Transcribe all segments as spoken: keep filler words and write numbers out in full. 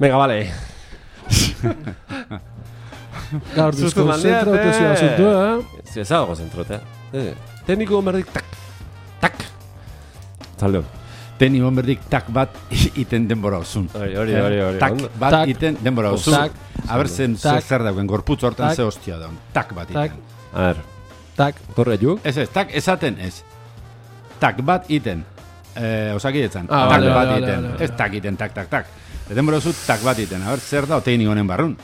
Venga, vale. Gaur deskonzentratu zia zuntu, eh? Zezago zentrote. Tekniko berdik tak, tak. Zaldeon. Teni bomberdik tak bat iten denbora osun. Hori, hori, hori, hori. Tak bat iten denbora osun. Tak. A ber, zen zer dauen, gorputz hortan ze hostia daun. Tak bat iten. A ver. Tak. Torre juk? Ez ez, tak esaten ez. Tak bat iten. Osakietzan. Ah, tak vale, bat vale, iten. vale, vale. Ez tak iten, tak, tak, tak. Denbora osu tak bat iten. A ber, zer da oteini honen barrun.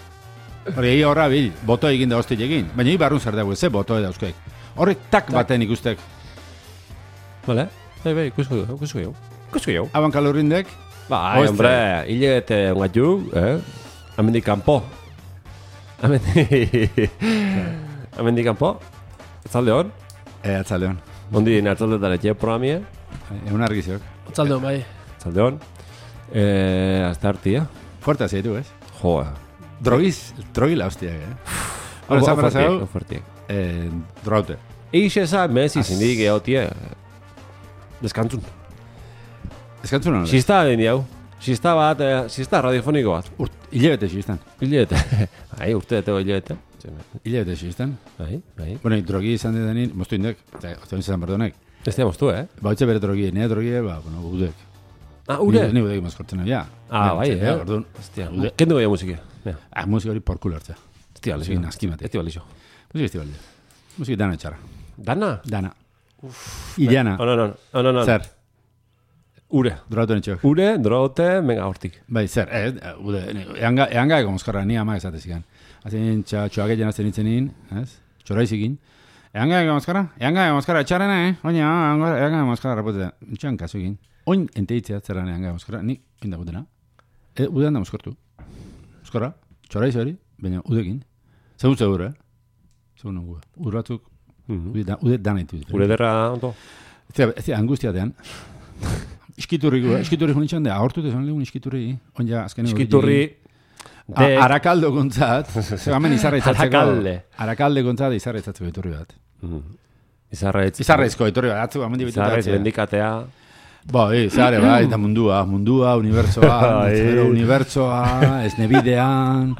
Hori egi horra bil, boto egin da hostil egin. Baina hi barrun zer dago, ze boto edauzkeik. Horrek tak baten ikustek. Vale. Bai, bai, ikusko jo, ikusko jo. Ikusko jo. Aban kalorrindek. Bai, hombre, hilete ungat ju, eh? Amendik kanpo. Amendik... Amendik kanpo. Zalde hon? E, atzaldeon. Ondi dina atzaldetan etxe programie. Egun argiziok. Otzaldeon, bai. Zalde hon. Eh, hasta hartia. Fuerte zeitu, ez? Joa. Drogiz, drogila hostiak, eh? Hora, zan parazau, eh, drogaute. Eixe eza, mezi zindik egotie. Deskantzun. Deskantzun hona? Sista den diau. Sista bat, eh, sista radiofoniko bat. Urt, hilebete xistan. Hilebete. Ai, urte etego hilebete. Hilebete xistan. Bai, bai. Bueno, drogi izan dedanin, moztu indek, eta ozten izan berdonek. Ez dira moztu, eh? Ba, hotxe bere drogi, nire drogi, ba, bueno, udek. Ah, ure? Ni udek mazkortzen, ja. Ah, bai, eh? Orduan. Hostia, kendu goia musike. Ah, musik hori porkulo hartza. Hostia, musik naskimate. Ez balixo. Musik ez balixo. Musik dana etxara. Dana? Dana. Iliana. Oh, no, no, no, no, no. Zer? Ure. Drogaute netxok. Ure, drogaute, menga hortik. Bai, zer, eh, ude, eanga, eanga ego mozkarra, ni ama ezatezikan. Azin, txoak egin azten itzenin, ez? Txoraizikin. Eanga ego mozkarra? Eanga ego mozkarra, etxarena, eh? Oina, eanga ego mozkarra, rapotetan. Txan kasu egin. Oin enteitzea zerran eanga ego mozkarra, ni inda gutena. E, udean da mozkortu. Mozkarra, txoraiz hori, baina udekin. Zegun zegur, eh? Zegun nengu. Urratzuk, ude dana itu. Ure derra, ondo? Ez dira, angustiatean. Iskiturriko, iskiturri jonitxan da, ahortu dezan legun iskiturri. Onja, azken egon. Iskiturri... Arakaldo gontzat, hemen izarra itzatzeko. Arakalde. Arakalde gontzat izarra itzatzeko etorri bat. Izarraitz. Izarraizko etorri bat, atzu, amendi bitutatzea. Izarraiz bendikatea. Ba, e, zare, bai, eta mundua, mundua, unibertsoa, pero unibertsoa, esnebidean,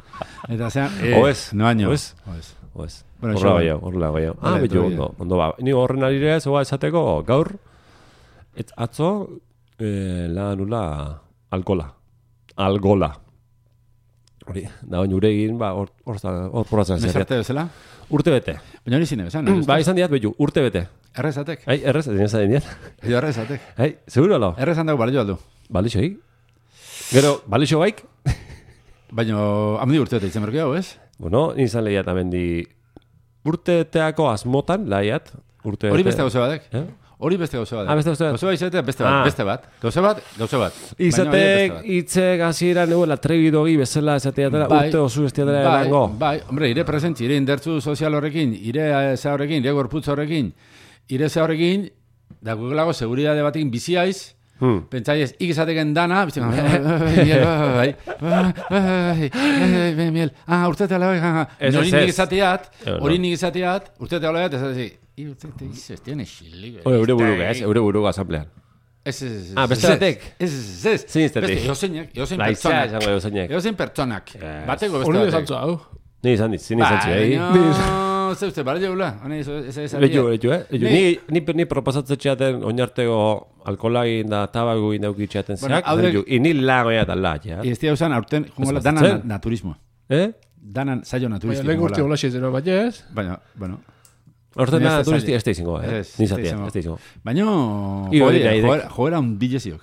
eta zean, e, Oez. no baino. Oez. Oez. Oez. Bueno, horrela baio, horrela baio. Ah, betu, ondo, ondo ba. Ni horren arire, zoa esateko, gaur, et atzo, eh, la nula, alkola. Algola. Hori, da bain uregin, ba, hor poratzen zer. Nezarte bezala? Urte bete. Baina hori zine, bezan? Ba, izan diat, betu, urte bete. Errezatek? Ai, errez, ez dinezan diat. Edo errezatek? Ai, seguro lo? Errezan dago balio aldu. Balixo, hik? Gero, balixo baik? Baina, amendi urte bete itzen berkeo, ez? Bueno, izan lehiat amendi urte teako asmotan, lehiat. Hori beste gauze batek? Eh? Hori beste gauze bat. Ah, beste gauze bat. Gauze bat izatea beste bat, Ah. beste bat. Gauze bat, gauze bat. Izatek, itzek hasieran eguela trebidogi bezala esateatela, Bai. urte osu estiatela Bai, erango. bai, hombre, ire presentzi, ire indertzu sozial horrekin, ire za horrekin, ire gorputz horrekin, ire za horrekin, da gugelago seguridade batekin biziaiz, Hmm. pentsaiez, ik izateken dana, bizten, bai, bai, bai, miel, ah, urtete ala, bai, Ez, hori ez, nik ez. izateat, Eh, no. hori nik izateat, urtete ala, eta zazi, i urtete izaz, tiene xilig. Oe, eure buruga, ez, eure buruga asamblean. Ez, ez, ez. Ah, beste batek? Ez, ez, ez. Zein iztetik? Beste, eozeinak, eozein Laizea pertsonak. esango eusainek. Eozein pertsonak. Yes. Bateko beste Hori batek. desantzu, hau. Ni izan dit, zin izan Bai, txea. baina, ze uste, bale jaula. Hone, ez ez ez. Lehiu, lehiu, eh? Lehiu. Ni- Ni, ni, ni proposatzen txeaten oinartego alkolagin da tabaguin daukitxeaten Bueno, zeak. hauek- Lehiu, ini lagoia eta la, ja. Ez dira usan, aurten, jungola, Ez dana batzen. na- naturismo. Eh? Danan saio Baina naturistiko. lehen urte jungola. hola xezeno, baina ez? Baina, bueno. Horten Ni da ez da turisti zaila. ez da izango, eh? Ez, Ni ez da zatia, izango. ez da izango. Baina, Igo joera, dira, idek. joera, joera un dillesiok.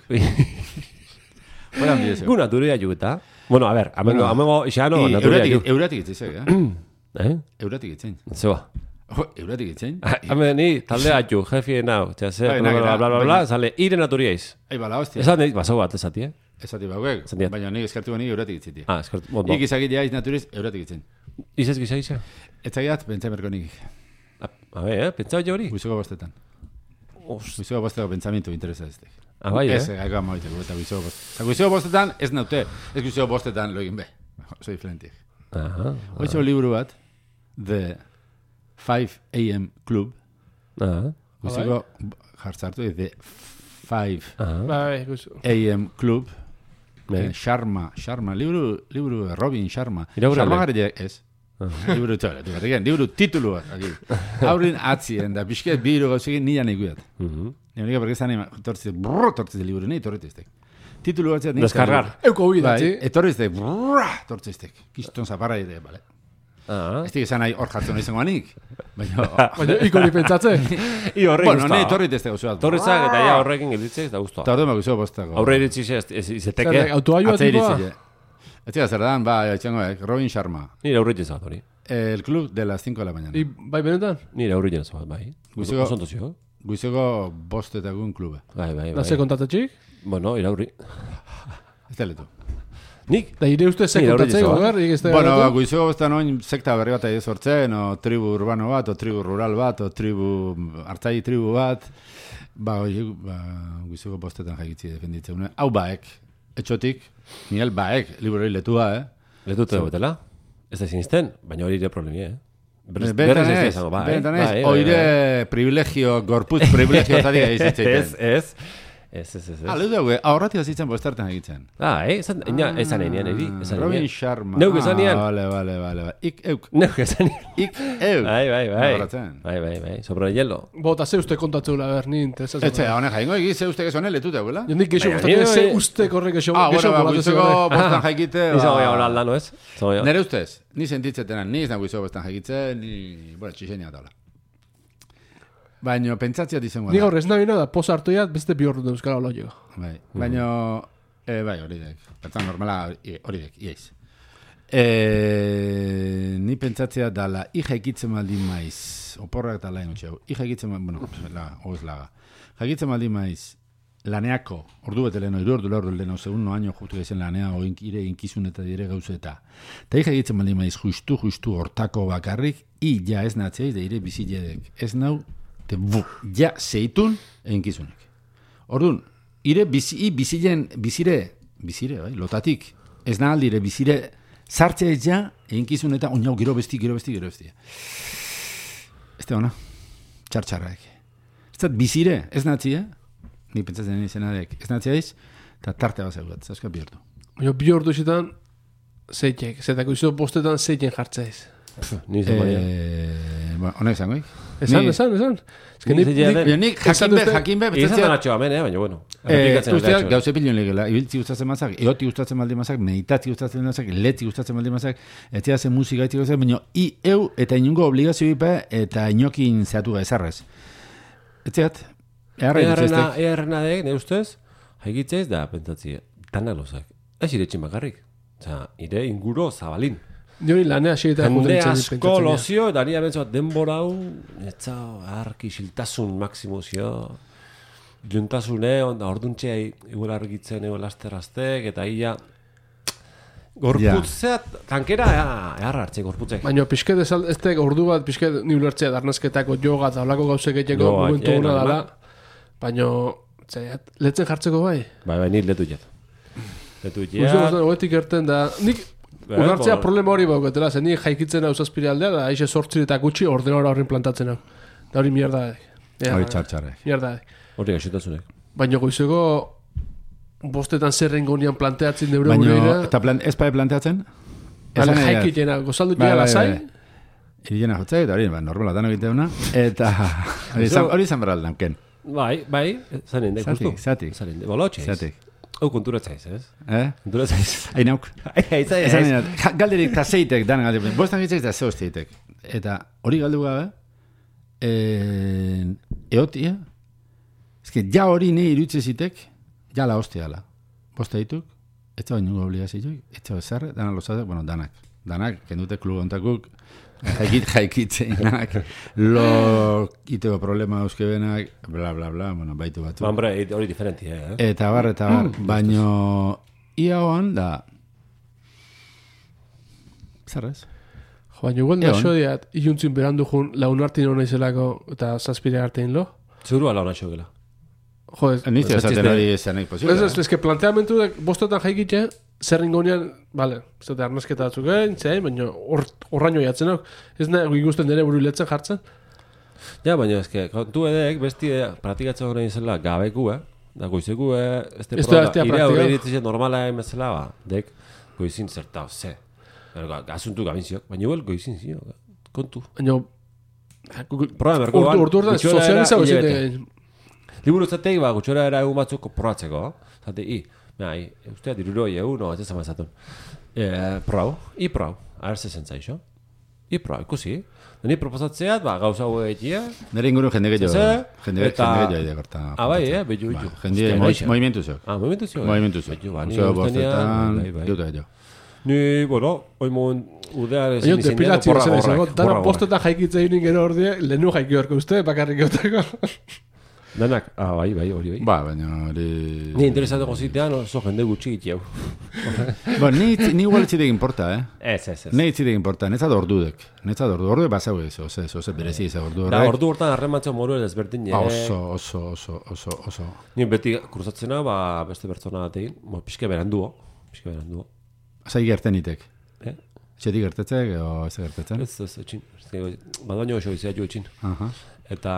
Joera un Gu dillesiok. naturia jugueta. Bueno, a ver, amengo, Bueno, amengo, xano, I naturia euratik- ju. Euratik itzizek, eh? Eh? Euratik itzen. Zeba. Jo, euratik itzen. Hemen ni taldea ju, jefien nau, txea ze, Bai, bla, bla, nakera, bla, bla, bla, baina- sale, ire naturiaiz. Ai, bala, hostia. Esan nahi, baso bat, esati, eh? Esati bauek, Esan diat. baina nik eskartu bani euratik itzitia. Ah, eskort, bondo. Ik izakitea iz naturiz, euratik itzen. Izez gisa, gisa? Ez zagiat, pentsa merko nik. A ver, eh? Pentsau jo hori? Guizoko bostetan. Ost. Guizoko bosteko pentsamentu interesa ez dek. Ah, bai, Ez, eh? gaiko amaiteko, eta guizoko bostetan. Guizoko bostetan, ez naute. Ez guizoko bostetan lo egin be. Oso diferentik. Aha. Hoitxo liburu bat, The five a m Club. Ah. Guizoko jartzartu, The five Ah. Bai, guzu. a m Club. Sharma, Sharma, liburu, liburu Robin Sharma. Irakurale? Sharma gare ez. Liburu txola, du berriken, liburu titulu bat. Haurin atzien, da pixket biru gauzekin nian ikuiat. Nire bergezan egin, tortzit, brrr, tortzit liburu, nahi tortziztek. Titulu bat zeat. Deskargar. Euko bidatzi. Etorriztek, brrr, tortziztek. Kiston zaparra ere, bale. Ah. Ez dik esan nahi hor jartzen izango anik. Baina... Baina ikori pentsatze. I horre Bueno, nahi torriztek gauzu bat. Torrizak eta ja horrekin gelditzek eta guztua. Eta orduan bakuzo bostako. Aurre iritsi izeteke. Autoaioa tipoa? Ez tira zer dan, ba, etxangoek, Robin Sharma. Nire aurre jezat hori. El club de las cinco de la mañana. I, bai benetan? Nire aurre jezat, bai. Guizeko- Osontozio. Guizeko bostetagun klube. Bai, bai, Da ze bai. kontatetxik? Bueno, iraurri. Ez da letu. Nik? Da ire uste ze Ni kontatzei aurre gogar? Bueno, ba, guizeko bostan oin sekta berri bat egin sortzen, o tribu urbano bat, o tribu rural bat, o tribu hartzai tribu bat. Ba, oi, ba, guizeko bostetan jaigitzi defenditzen. Hau baek, etxotik, Miguel baek, liburoi letua, eh? Letute betela? Ez da sinisten, baina hori ere problemi, eh? Berrez Benetan ez da ez, izango, bai. benetan ez, Bai, bai, oire bai. privilegio, gorputz privilegio zatik Ez, egizitzeiten. ez. Ez, ez, ez. Ah, lehu dugu, ahorratik azitzen bostartan egitzen. Ah, eh? Esan, ina, esan enean, eri? Esan Robin enean. Sharma. Neuk esan enean. Ah, vale, vale, vale. vale. Ik, euk. Neuk esan enean. Ik, euk. Bai, bai, bai. Ahorratzen. Bai, bai, bai. Sobre el hielo. Bota ze uste kontatzeula ber, ni interesatzen. Etxe, honek jaingo egiz, ze uste gezone letu dagoela? Jondik geixo Baina, gustatzen ni- ze uste korrek geixo Ah, bueno, geixo ba, golatzen guizeko zegoen. bostan jaikite, Izango ba... ja hor aldano, ez? Izango ja. Nere ustez, ni sentitzetenan, ni ez nago guizeko bostan jaikitzen, ni, bueno, txixenia taula. Baina, pentsatziat izango Ni da. gaur ez nabina da, posa hartu jat, beste bi horretu euskara hola jo. Bai, baina, eh, bai, hori dek. Bertan normala, i- hori dek, iaiz. Eh, ni pentsatzea dala, i jaikitzen maldin maiz, oporrak eta lain utxeu, i jaikitzen maldin, bueno, la, hoz laga. Jaikitzen maldin maiz, laneako, ordu bete leheno, iru ordu lehordu leheno, segun no año justu gezen lanea, oin ire inkizun eta dire gauze eta. Ta i jaikitzen maldin maiz, justu, justu, hortako bakarrik, i ja ez natzeiz, da ire biziledek. Ez nau, te bu, ja zeitun, einkizunek. Orduan, ire bizi, i bizilen, bizire, bizire, bai, lotatik, ez nahi aldire, bizire, sartzea ez ja, einkizun eta oinau, gero besti, gero besti, gero besti. Ez da ona, txartxarraek. Ez da bizire, ez natzi, eh? Ni pentsatzen izenadek, ez natzi aiz, eta tarte bat zeugat, zauzka bihurtu. Baina bi ordu zitan, zeitek, zetako izo postetan zeiken jartzeiz. Ni izan baina. Eh, bueno, honek zangoik? Esan, Ni- esan, esan. Ez que Ni ni, zeitea ni, den- Baina nik Esan jakin be, dute- jakin be, Izan pentsatzea... da natxo amen, eh? Baina, bueno. Eh, Errepikatzen usteak gatxo. gauze pilon legela, ibiltzi gustatzen mazak, eoti gustatzen maldi mazak, meditatzi gustatzen mazak, letzi gustatzen maldi mazak, etzia zen musika etzi gustatzen, baina i eu eta inungo obligazio ipe eta inokin zehatu ezarrez. Etziat, eharra Earrena, dituztek. earrena dek, ne ustez, haikitzez da, pentsatzi, tanak lozak. Ez ire etxin bakarrik. Osa, ire inguro zabalin. ni hori lanea xeita Jende asko lozio, eta nire bentsua denbora hau, netza, arki, siltasun maksimuzio, juntasune, onda, orduntxea, igual argitzen, igual asteraztek, eta ia, gorputzeat, tankera, eharra hartze, gorputzek. Baina pixket ez, ez tek ordu bat pixket ni ulertzea darnazketako joga eta holako gauzek egiteko Jo, momentu eh, gona normal. dala. Baina, zeiat, letzen jartzeko bai. Bai, bai, nire letu jet. Letu Uste jet. guztan, hoetik erten da, nik Bai, ulertzea bo- problema hori bauketela, zen ni jaikitzen hau zazpire aldea, da aixe sortzi eta gutxi ordenora horrin plantatzen hau. Da hori mierda da. Ja, Hori txartxarrek. mierda da. Hori gaixotasunek. Baina goizeko bostetan zerren gonian planteatzen deure Baina, gureira, eta plan, ez bai planteatzen? ale Esan nahi dat. jaikitena, gozaldu Bai, ja bai, lasai, bai. Irilena jotzea, eta hori, ba, normala dano egiteuna, eta hori izan- hori izan beral danken. Bai, bai, zanen, de, Zatik, justu. zatik. Zanen, de, bolotxe. Zatik. Hau konturatzaiz, ez? Eh? Konturatzaiz. Hainauk. Aiza, Esan ez. nahi dat, ja- galderik eta zeitek, dan galderik. Bostan gitzeiz da zeo zeitek. Eta hori galdu gabe, eh, eotia, ez que ja hori nahi irutze zitek, ja la hostiala. Bosta dituk, ez da baino obligazioik, ez da bezarre, danak lozatek, bueno, danak. Danak, kendute klub ontakuk, jaikit, jaikitzein, danak, lo iteko problema euskebenak, bla, bla, bla, bueno, baitu batu. Ba, hombre, hori diferentia, eh? Eta bar, eta bar, baino ia hoan da, zerrez? Jo, baina igual da Egon. xodiat, iluntzin berandu jun, laun hartin hona izelako eta zazpire hartin lo. Zuru ala hona xogela. Jo, ez, Nizte Ez esaten ziste- hori zenek posible. ez, ez, ez, que planteamentu dek bostetan jaikitxe, zer ringonean, bale, ez dut arnazketa batzuk egin, zein, baina hor- horraino jatzen hau. Ez nahi ikusten dene buru letzen jartzen. Ja, baina eske, kontu edek, besti praktikatzen horrein izela gabeku, eh? Da goizeku, eh, este Ez proba, da, ire praktika. horre ditzen normala emezela, ba, dek, goizin zertau, ze. Gazuntu gabinziok, baina igual goizin zio, kontu. Baina, Proba merko ban, urtu urtu gutxora sozializago era zite. hilabete. Liburu zateik, ba, gutxora era egun batzuk probatzeko, zate, i, mea, i, ustea diruroi egun, no, ez ezama ezatun. Eh, prau, i prau, a ver se zentzaixo. I prau, ikusi. Ni proposatzeat, ba, gauza hau egitea. Nere inguru jende gehiago. Ze, Jende eta- jende gehiago edakorta. Ah, bai, eh, behiu, behiu. Jende movimentu zeok. Ah, movimentu zio. Movimentu zeok. Behiu, ba, ni Zeo ustenean, bostetan, bai, bai. duta gehiago. Ni, bueno, oi mogun udear Baina, ezin izenean, depilatzio borra zen izango, gorrak. dana borra postetan jaikitza egin gero ordie, lehenu jaiki horko uste, bakarrik euteko. Danak, ah, bai, bai, hori, bai. Ba, baina hori... Ni interesatuko zitean, oso jende gutxi gitiau. Ba, ni, ni igual etzitek importa, eh? Ez, ez, ez. Ni etzitek importa, netzat ordudek. Netzat ordu, ordu basau ez, oze, oze, berezi ez ordu Da, horrek. ordu hortan harrematzo moru ezberdin, Ba, eh? oso, oso, oso, oso, oso. Ni beti kruzatzena, ba, beste pertsona batekin, bo, pixke beranduo, pixke beranduo. Zai gertenitek. Eh? Txetik gertetzek, o ez gertetzen? Ez, ez, etxin. Badaino oso izia jo etxin. Aha. Eta...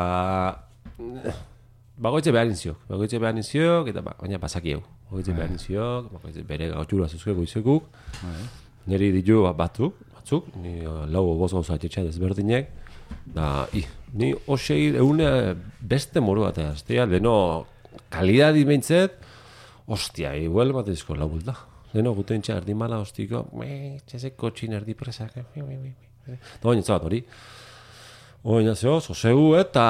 Bagoitze behar inziok, bagoitze behar inziok, eta ba, baina pasaki hau. Bagoitze behar inziok, bagoitze bere gautxura zuzke goizekuk. Neri ditu bat batzuk, batzuk, ni uh, lau boz gauza etxetxea desberdinek. Da, i, ni osei eune beste moru bat aztea, leno kalidadi behintzet, ostia, igual bat ezko lau bulta. Leno guten txar erdi mala ostiko, me, txezeko txin erdi presak, da baina zabat hori. Oina zeo, zozegu eta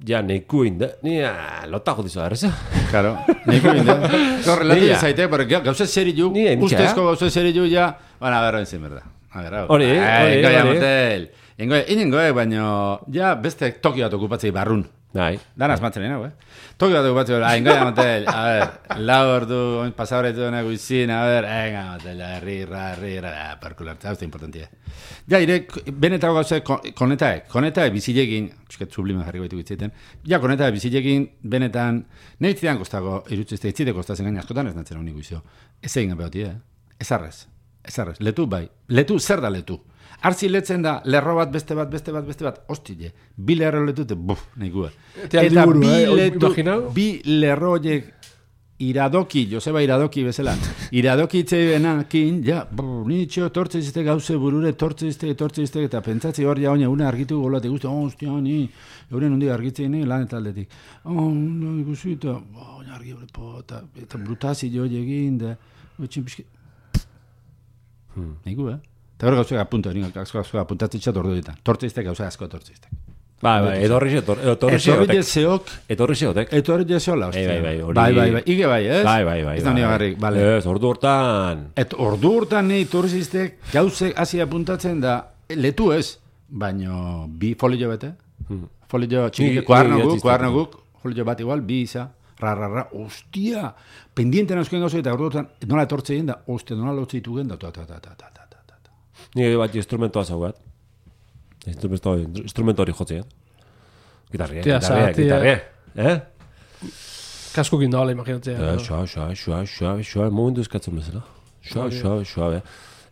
ja neiku inde, ni lotako dizu arreza. Claro, niko binde. Gaur relatu Nia. zaite, porque gauza seri ju, Ni emtxa. ustezko gauza seri ju ja, bueno, a ver, oin zen, berda. A ver, hau. Hori, Eh, hori, Goia hori. motel. Ingoe, inengoe, baino, ja beste toki bat okupatzei barrun. Bai, Dan asmatzen hau, eh? Toki bat okupatzei, ah, ingoia motel, a ver, lau ordu, oin pasabretu dena guizin, a ver, enga motel, herri, ra, herri, ra, perkulartza, hau importantia. Ja, ire, benetako gauze, konetaek, konetaek bizilekin, txuket sublimen jarri baitu bitziten, ja, konetaek bizilekin, benetan, nahi zidan kostako, irutzizte, itzite kostazen gaina askotan ez natzen honi guizio. Ez egin gabe hoti, eh? Ez arrez, ez arrez, letu bai, letu, zer da letu? Artzi letzen da, lerro bat, beste bat, beste bat, beste bat, ostile, bi lerro letute, buf, nahi gue. Eta liburu, bi eh, letu, imaginau? bi lerro horiek iradoki, Joseba iradoki bezala, iradoki itzei benakin, ja, brr, nitxo, tortze izte gauze burure, tortze izte, tortze izte, eta pentsatzi hor ja, oina, una argitu golatik guzti, oh, ostia, ni, euren hundi argitzei ni, lan eta aldetik. Oh, no, ikusi, eta, oh, oina argi hori, po, eta, eta brutazi jo egin, da, betxin pixki, hmm. Nigu, eh? Eta hor gauzak apunta, nik gauzak apuntatzen txat ordu ditan. Tortze izte gauza asko tortze izte. bai, bai, edorri zeotek. Etorri jezeok, Etorri zeotek. etorri jezeola, ostia. Bai, bai, bai, hori- Bai, bai, bai, ige bai, ez? Bai, bai, bai. Ez da bai. nire garrik, bale. Ez, ordu hortan. Et ordu urtan nahi turizistek gauzek hasi apuntatzen da, letu ez, baino bi folio bete, folio txiki, Ni- kuarno ni guk, idatzizte. kuarno guk, folio bat igual, bi isa, ra, ra, ra, ostia, pendienten euskuen gauzek eta ordu urtan, nola etortze egin da, ostia, nola lotze ditu gen da, ta, ta, ta, ta, ta, ta, ta, ta, ta. Ni bat instrumentoa zaugat. Instrumento, instrumento hori jotzea. Gitarria, Tia, gitarria, zatia. gitarria. Eh? Kaskokin da, imaginatzea. Eh, Xua, xua, xua, xua, xua, momentu eskatzen bezala. Xua, xua, xua, be.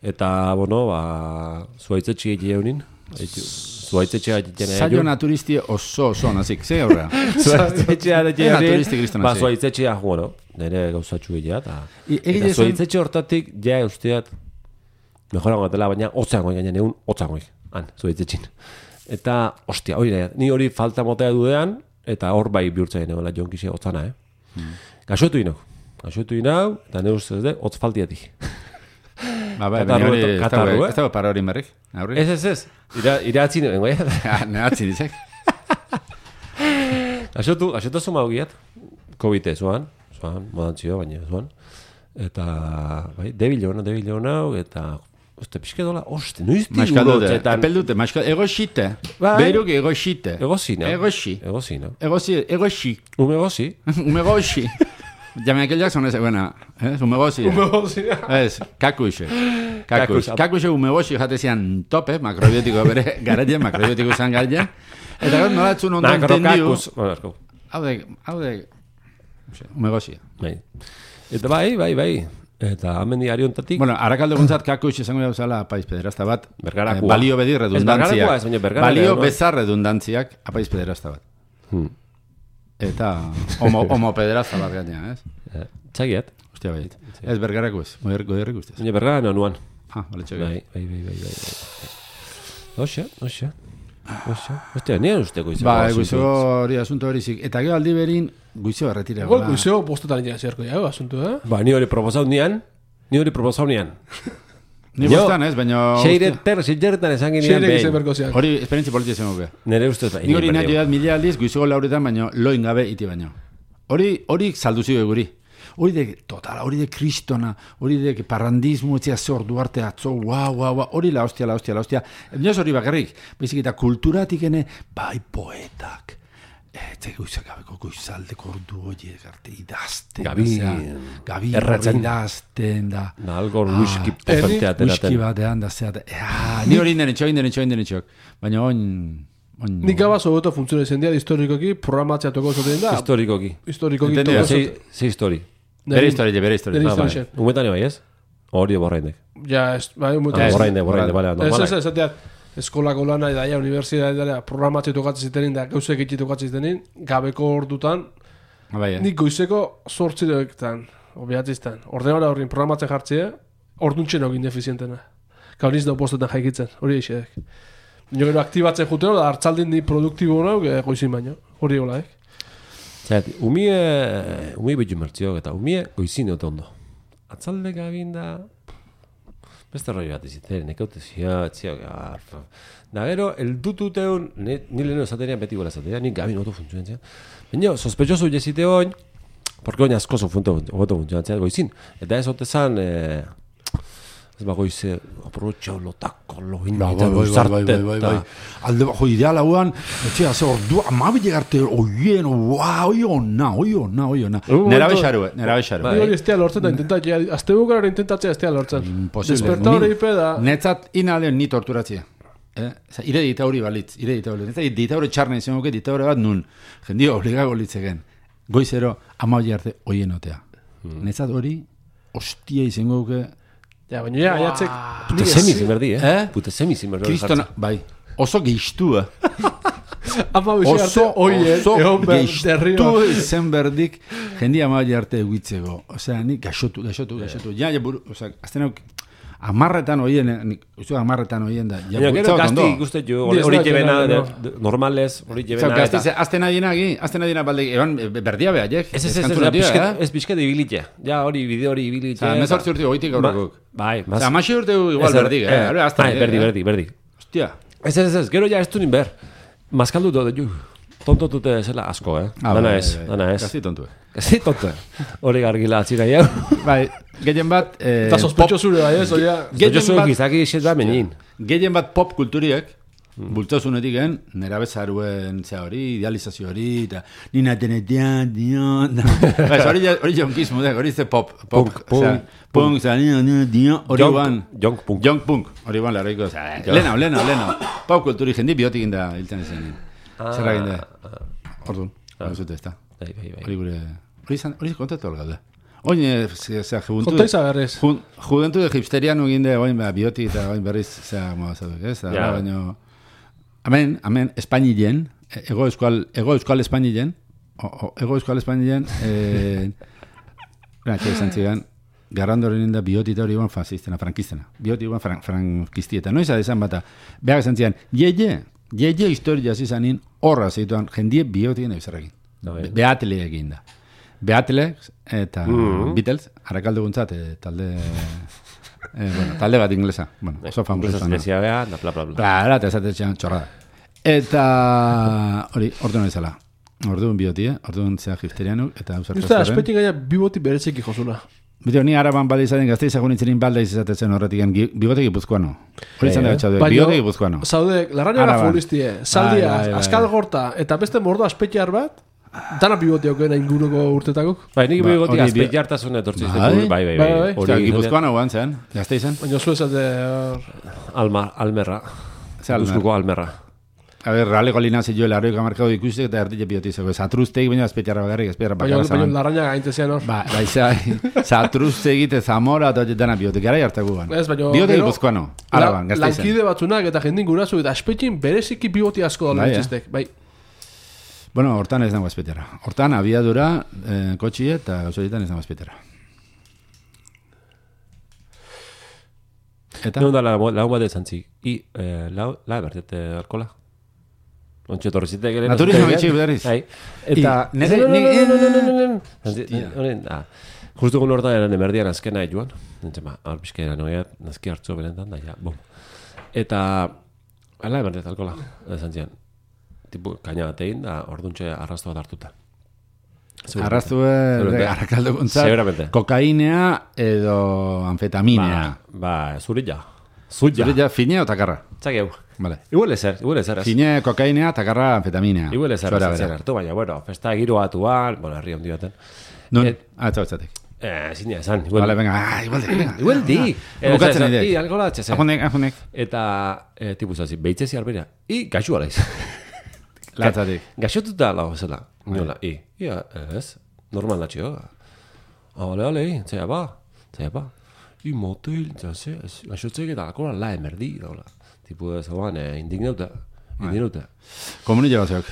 Eta, bueno, ba, zuaitzetxe egitea honin. Zuaitzetxea egitea Saio naturisti oso oso nazik, ze aurra. Zuaitzetxea egitea Naturistik kriston Ba, hasi. zuaitzetxea, bueno, nire gauzatxu egitea. eta- I- egile Eta zen- zuaitzetxe hortatik, ja, usteat, mejorango gatela, baina hotzangoik, gaina egun hotzangoik, han, zuaitzetxin. Eta, ostia, hori da, ni hori falta motea dudean, eta hor bai bihurtzen egoela jonkixea hotzana, eh? Hmm. Gaxotu inau, gaxotu inau, eta ne ustez de, hotz faltiatik. Ba, bai, Katarru- baina hori, ez katarru, dago- eh? ez dago para hori merrik, aurri. Ez, ez, ez, ira, iratzi nengo, eh? Nehatzi dizek. Gaxotu, gaxotu zuma hogiat, COVID zuan, zuan, modantzio, baina zuan. Eta, bai, debil hona, debil hona, eta, uste, pixke dola, oste, noiz diru Maskaldute, lotxetan. epeldute, maskaldute, egoxite. Bai. Beiruk egoxite. Egozi, no? Egoxi. Egozi, no? Egoxi, egoxi. Ume egozi. Umegoxi. Ja Michael Jackson ez, buena, ez, umegoxi. Ez, kakuxe. Kakuxe. Kakuxe. Kakuxe umegoxi jate zian tope, makrobiotiko bere garaien, makrobiotiko zan garaien. Eta gaur nolatzun ondo entendiu. Makrokakus. Bueno, erko. Haude, haude, umegoxi. Bai. Eta bai, bai, bai. Eta hemen diario ontatik. Bueno, arakaldo guntzat kakuxe izango dauzala apaiz pederazta bat. Bergarakua. Eh, balio bedi redundantziak. bergarakua, ez baina bergarakua, Balio no? bezar redundantziak apaiz pederazta bat. Hmm. eta homo, homopederazta bat gaina, ez? Txagiat. Hostia, bai. Ez bergarako ez, goierrik ustez. Baina bergara nanuan. Ah, bale txagiat. Bai, bai, bai, bai, bai. Oxa, oxa. Oxa. Ostia, nire usteko izango. Ba, guizego hori asunto hori zik. Eta gero aldi berin, guizego erretira. Igual guizego bostetan ina zerko ja, asunto, eh? Ba, ni hori proposau nian, ni hori proposau nian. Ni bostan ez, baina... Xeiret per, xeiretan esan ginean Xeirek izan behin. berko zian. Hori esperientzi politia zen guke. Nire ustez bai. Ni hori nahi jodat mila aldiz, guizego lauretan, baina loin gabe iti baino. Hori, hori saldu zio guri. Hori de, total, hori de kristona, hori de parrandismo, etzia ze ordu arte atzo, guau, guau, guau, hori la hostia, la hostia, la hostia. Nioz hori bakarrik, bezik eta kulturatik ene, bai poetak, eta guizak gabeko guizaldeko ordu hori arte idazten. Gabi, gabi erratzen. idazten da. Na, algo whisky potentea Whisky ateraten. batean da zeat. Ni hori inden etxok, inden etxok, inden etxok. Baina oin... Nik gaba sobeto funtziones zendia historikoki, programatzea toko zoten da. Historikoki. Historikoki Entendia, toko Zei, zoten. zei histori. Bere historia, bere historia. Bere Ah, bai. historia. Umetan bai ez? Hori borraindek. Ja, ez, bai, mutu. Ah, ez. borrainde, borrainde, bale, Ez, ez, normalak. ez, esateat, eskolako lana eta ja, universitatea programatzea tokatzen zitenin da, gauzek itxi tokatzen zitenin, gabeko ordutan, Bai, eh? nik goizeko sortziretan, obiatziztan, ordenara horrin programatzen jartzea, orduntxen hogin defizientena. Gau niz da postetan jaikitzen, hori eixedek. Nio gero aktibatzen jutero, da hartzaldin di produktibo nauk, goizin baino, hori hola, eh? Zat, umie, umie betu mertziok eta umie goizine ote ondo. Atzalde gabin da... Beste roi bat iziten, nekaute zia, zia, garfa. Da gero, el dututeun, ni leheno esatenean beti gola esatenean, ni gabin oto funtzionatzen. Baina, sospechoso jesite oin, porque oin asko oto funtzionatzen goizin. Eta ez ote zan, eh, ez ba goize, aprotxau lotako, lohin, eta luzarte. Alde bajo ideal hauan, etxea, ze ordu, amabile garte, oien, ua, oi ona, oi ona, oi ona. Nera bexaru, nera bexaru. Ni hori estea lortzen da, intentatzea, azte bukara intentatzea estea lortzen. Imposible. Desperta hori ipe da... Netzat inaldeon ni torturatzea. Eh? Osa, ire dita hori balitz, ire dita hori. Netzat dita hori txarna izan guke, dita hori bat nun. Jendio obligago litzeken. Goizero, amabile arte, oien otea. Netzat hori, ostia izango guke... Ja, baina ja, aiatzek... Puta semizin berdi, eh? Eh? Puta semizin berdi. Kristona, bai, oso geistua. Ama bizi arte, Oso, oien, oso egon behar geiztu derrio. izen berdik jendia maile arte eguitzego. Osea, ni gaixotu, gaixotu, gaixotu. Ja, ja, buru, osea, azten hauk, amarretan oien, nik, uste amarretan oien da. Ja, Baina, gero bultzau gazti ondo. ikustet jo, Ni ez hori dakit, jebena, no. de- de- normales, hori Osea, jebena, gazti, eta... azten adiena agi, azten adiena balde, eban, berdia beha, jek? Ez, ez, ez, ez, Eskantuna tio, pixket- eh? ez pixket ibilitxe. Ja, hori, bide hori ibilitxe. Osea, mezortzi urte goitik aurrekuk. Bai, Osea, amaxi urte igual Ez, berdik, eh? Hora, azten, Bai, berdi, berdi, berdi. Hostia. Ez, ez, ez, gero ja ez du nin ber. Maskaldu do, ju. Tontotute zela asko, eh? Ah, Dana bai, ez, bai, bai. dana ez. Gazti tontu. Gazi tonto. Hori gargila atzika jau. Bai, gehien bat... eh, Eta sospecho zure bai ez, oia... Gehien Yo soy bat- gizaki xet da menin. Gehien bat pop kulturiek, bultzazunetik gen, nera bezaruen zea hori, idealizazio hori, eta nina tenetean, dion... Hori hori jonkismo, dek, hori ze pop. Punk, Pop, osea, punk, zera, nina, nina, dion, hori Junk- ban... junk punk. Junk punk, hori ban, larroiko, osea, leno, leno, leno. Pop kulturi jendi biotik inda hiltzen ezen. Zerra ginda. Orduan, hori zute, ez da. Bai, bai, bai. Hori gure... Hori izan, hori kontatu hori gaude. Oin, zera, juventud... Konta izagarrez. Ju- Juventude hipsteriano ginde, oin ba, biotik eta oin berriz, zera, moa zaudek, ez? Da, Ja. baino... Hemen, hemen, Espainilen, ego euskal, ego euskal Espainilen, o, o, ego euskal Espainilen, eh, gara, txai izan zidan, garrandoren inda biotita hori ban fasistena, frankistena. Bioti ban fran, frankistieta. Noiz adizan bata, behar izan zidan, ye, ye, ye, ye historia zizanin, horra zituan, jendie biotien ebizarrekin. Bai. Beatele egin da. Beatele eta Mhm. Beatles, harakaldu guntzat, eh, talde... Eh, bueno, talde bat inglesa. Bueno, oso famosa. Enpresas inglesa beha, da bla, bla, bla. Claro, eta esatetxean txorrada. Eta hori, orduan ezala. Orduan biotie, orduan zea hipsterianuk, eta Usta, ausartazaren. aspetik gaina biboti berezeki josuna. Bideo, ni araban bale izaten gazte izagun itzerin balda izatetzen horretik, bigote gipuzkoano. Hori izan da Bai, betxaude, Baina, bigote gipuzkoano. Zaude, larrañaga Araban. futbolistie, zaldia, Bai, bai, bai, askal bai. gorta, eta beste mordo aspetiar bat, dana biboti aukena inguruko urtetakok. Bai, nik Ba, bigoti hori azpeit bi- jartasun etortzi Bai. bai, bai, bai, Bai, bai. bai. Osea, Hori gipuzkoano guan zen, gazte izan. Baina zu esate... hor, Alma, almerra. Zer almer? Guzkuko almerra. A ber, raleko linazi jo laroik amarkau ikusik eta erdile biotizeko. Zatruzteik baina azpetiarra bakarrik, azpetiarra Baina, bakarra baina zaman. larrañaga gaintezian hor. Ba, baiza, zatruzteik eta zamora eta hori dana biotik, gara jartako guan. Ez, baina... Biotik gero, gipuzkoano, la- araban, gazte izan. Lankide batzunak eta jendin gurasu eta aspetin bereziki biboti asko da Bai, eh? lantzistek. Bai, Bueno, hortan ez dago azpetera. Hortan abiadura, eh, kotxie eta gauzorietan ez dago azpetera. Eta? No da la la bat ezantzi. I eh, la la bertete alkola. Ontxe torrizite gero. Naturismo bitxi berriz. Bai. Eta nere ni justu gun hortan eran emerdian azkena joan. Entzema, albiskera noia, nazki hartzo benetan da ja. Bom. Eta ala bertete alkola. Ezantzian. Tipo kaina batein da orduntxe arrasto bat hartuta. Arrastu arrakaldo gontzat. Seguramente. Kokainea edo anfetaminea. Ba, ba zurilla. Zulla. Zurilla finea o takarra. Txakeu. Vale. Igual ezer, igual ezer. Finea, kokainea, takarra, anfetaminea. Igual ezer zen hartu, baina, bueno, festa giro batuan, bueno, herri hondi baten. Nun? Ah, etxau etxatek. Eh, zinia esan. Igual, vale, venga, ah, igual di, venga. Igual di. Bukatzen idek. I, alkola atxezen. Ajunek, ajunek. Eta, eh, tipuzazi, behitzezi arbera. I, gaxu alaiz. Latzatik. Gaxotuta lau zela. Nola, i. Ia, ez, normal natxio. Ole, ole, zea ba, zea ba. I, motel, zase, gaxotzek eta alkola la emerdi, daula. Tipo, ez hauan, eh, indignauta. Indignauta. Komunile bazeok.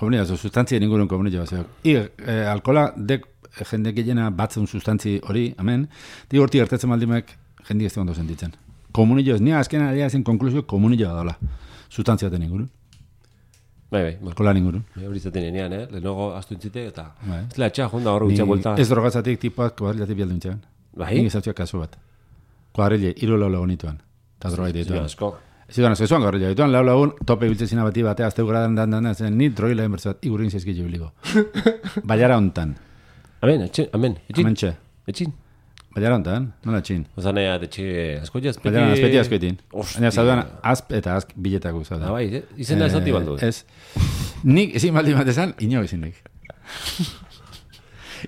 Komunile bazeok, sustantzia ningurun komunile bazeok. I, eh, alkola, dek, jende gehiena batzen sustantzi hori, amen, di horti gertatzen maldimek, jendi ez ondo sentitzen. Komunile ez, nia azkena adia zen konklusio komunile daula. Sustantzia ten ningurun. Bai, bai. Alkola ningurun. Bai, hori zaten enean, eh? Lehenago astu intzite eta... Bai. Ez lehatxa, jonda horro gutxa buelta. Ez drogatzatik tipuak kuadrilatik bialdu intxean. Bai? Nik izatxoak kasu bat. Kuadrile, iru lau lagun ituan. Eta droga dituan. asko. Ez duan, ez zuan kuadrilla dituan, lau lagun, tope biltzezina bati batea, azteu gradan dan dan, zen, ni drogi lehen bertzat, igurin zezki jubiliko. Baiara hontan. Amen, etxin, amen, etxin. Amen txe. Etxin. Baiara hontan, nola txin. Ozan ea, etxe asko jazpeti... Baiara azpeti askoetin. Ostia. Baina zaudan, azp eta azk biletako zaudan. Ah, bai, izena ez ati baldu. Ez. Nik ezin baldi bat esan, inok ezin nik.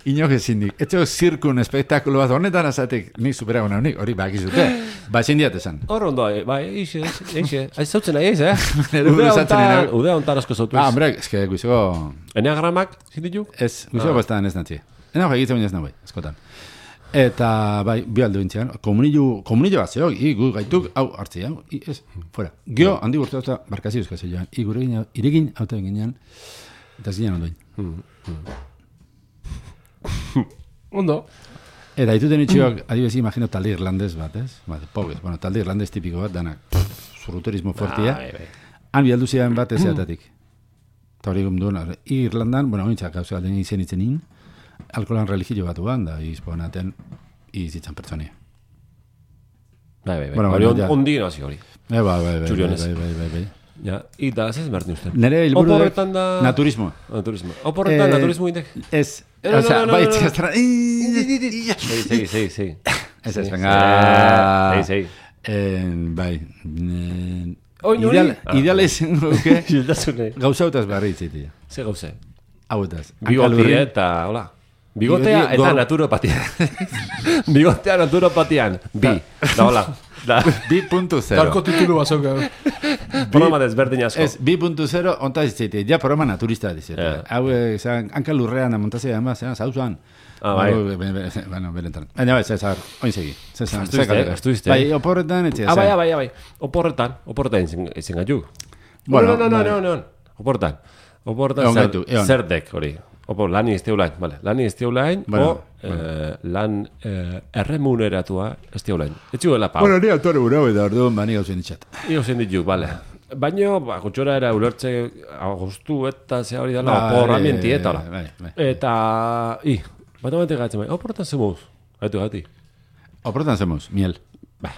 Inok ezin nik. Etxo zirkun espektakulo bat honetan azatik, nik superago nahunik, hori bakizute. Ba ezin diat esan. Hor ondo, bai, eixe, eixe. Ez zautzen nahi ez, eh? Udea hontan, udea hontan asko zautuz. Ah, hombre, eske guizego... Eneagramak, zindituk? Ez, guizego bastan ez natzi. Ena hori egitzen baina ez nahi, eskotan. Eta, bai, bi aldo intzean, komunillo, komunillo bat zeok, i, gu gaituk, hau, hartzea, i, ez, fuera. Gio, handi urte hau, barkazi euskaz joan, i, gure gine, iregin, hau eta ginean, eta zinean ondoin. Ondo. Eta dituten itxioak, adibezi, imagino talde irlandez bat, ez? Bat, pobres, bueno, talde irlandez tipiko bat, danak, zurruterismo fortia. Han bi aldu zian bat ezeatatik. Eta hori gomduen, Irlandan, bueno, ointzak, hau zela, izen itzenin, alkolan religio bat uan, da izponaten izitzan pertsonia. Bai, bai, bai. Bueno, Hori bueno, ja. ondi nazi hori. Eh, bai, bai, bai, Txurionez. bai, bai, bai, bai. Ja, ita, ez ez bertin uste. Nere helburu Oporretan da... naturismo. Naturismo. Oporretan Eh, naturismo indek. Ez, No, no, o sea, no, no, bai, no, no. txastra... Segi, segi, segi, segi. Ez ez, Sí, venga... Segi, segi. Eh, bai... eh, Oin hori? Ideal, Ah. ideal izan guke... Xiltasune. Gauza hautaz barri itzitia. Ze gauze. Hauetaz. Bigotia eta, hola. Bigotea Bigoti- eta gor- naturopatia. Bigotea naturopatian. Bi. Da, hola. Da. bi puntu zero. Tarko titulu bazok. Programa desberdin asko. Ez, bi puntu zero ontaz itzitia. Ja programa naturista dizete. Eh. Hau, eh, zan, hanka lurrean da montazia ama, zean, zauzuan. Ah, bai. Bueno, benetan. Baina, bai, zezar, oin segi. Zezar, Astu izte, astu izte. Bai, oporretan, etxea. Ah, bai, ah, bai, ah, bai. Oporretan, oporretan izan, izan gaitu. Bueno, no, no, no, bai. no, no, no. Oporretan. Oporretan Egon zer, gaitu, egon. zerdek hori. Opo, lan izteulain, vale. Lan izteulain, Bueno, o eh, lan eh, erremuneratua izteulain. Etxuela, pau. Bueno, ni autore burau eta orduan bani gauzen itxat. Io zen dituk, vale. Baina, ba, gutxora era ulertze agostu eta ze hori dela, Bai, oporra mienti eta hola. bai, bai. Eta, i, bat amante gatzen bai, oporretan zemuz. Gaitu, gati. Oporretan zemuz, miel. Ba,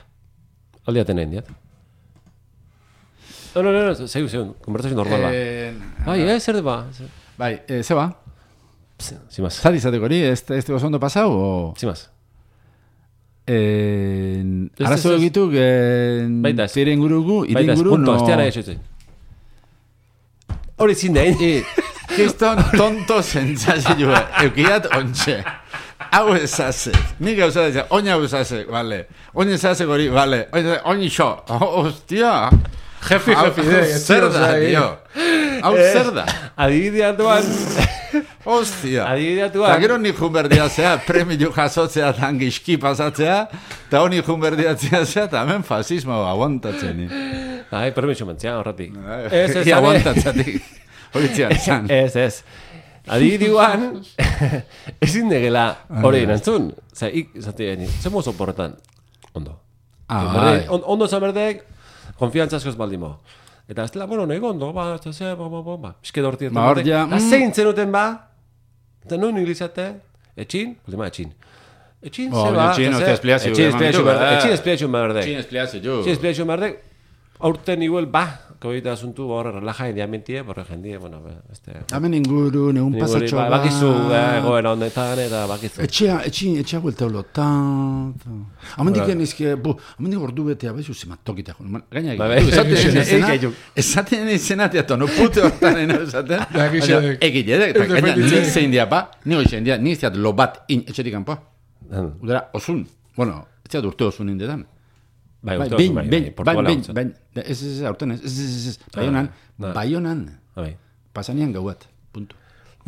aldiaten egin diat. No, no, no, no, zeu, zeu, konversazio normal ba. Eh, Bai, eh, zer de ba. Bai, eh, zeba? Zimaz, Zari izateko hori, este, este oso ondo pasau, o... zimaz. Eh, Ez, arazo ez, ez. egituk, eh, Baita ez. zire ingurugu, ire Baita ez, inguru, punto, no... ez tiara esoitzen. Hori zin dein. Kiston tonto zentzazioa, eukiat ontxe. Hau ezazek, nik gauza dira, oina hau ezazek, vale. Oina ezazek hori, vale. Oina xo, hostia. Jefi, Hau- jefi, de, Zer da, tio. Hau zer da. Adibideatuan, Hostia. adibideatuan. Eta gero nik junberdia zea, premio jasotzea eta gizki pasatzea, eta honi junberdia zea, eta hemen fasismo aguantatzen. Ai, permiso mentzea, horretik. Ia aguantatzatik. Horitzen, zan. Ez, ez. Adibidiguan, ezin degela hori nantzun. Zer, ik, zate, zer mozo porretan? Ondo. Ah, Berde, on, ondo zan berdek, konfiantza askoz baldimo. Eta ez dela, bueno, nego ondo, ba, ez da ze, ba, ba, ba, ba, bizke dorti. Ba, hor ja, Eta zein zenuten ba, eta noin inglizate, etxin, baldima etxin. Etxin, Oh, zeba, etxin, hostia, espliazio, etxin, eman espliazio ditu, berdek, eh. etxin, espliazio berdek. Txin espliazio, jo. Etxin, espliazio berdek, aurten igual, ba, kabita asuntu, borre, relaja india mentie, borre jendie, bueno, este... Hemen inguru, negun pasatxo ba, bakizu, eh, goera honetan, eta bakizu. Etxea, etxea, etxea buelta holo, ta, ta. Amendik enizke, bu, amendik ordu betea, bezu zemat tokita. Gaina Ba, egin, be, esaten izena, egin. esaten izena, teato, no pute hortan eno esaten. Ja, egin. Egin, eta gaina, nik zein dia, ba, nik zein dia, nik zeat lo bat in, etxetik kanpo. Udara, osun, bueno, ez zeat urte osun indetan. Bai, Bai, urte bain, oso, bai, bain, bai, bain, Portugala bain, hontzen. bain, ez, ez, ez, aurten ez, ez, ez, ez, baionan, Ah, baionan, Bai. pasanian gauat, puntu.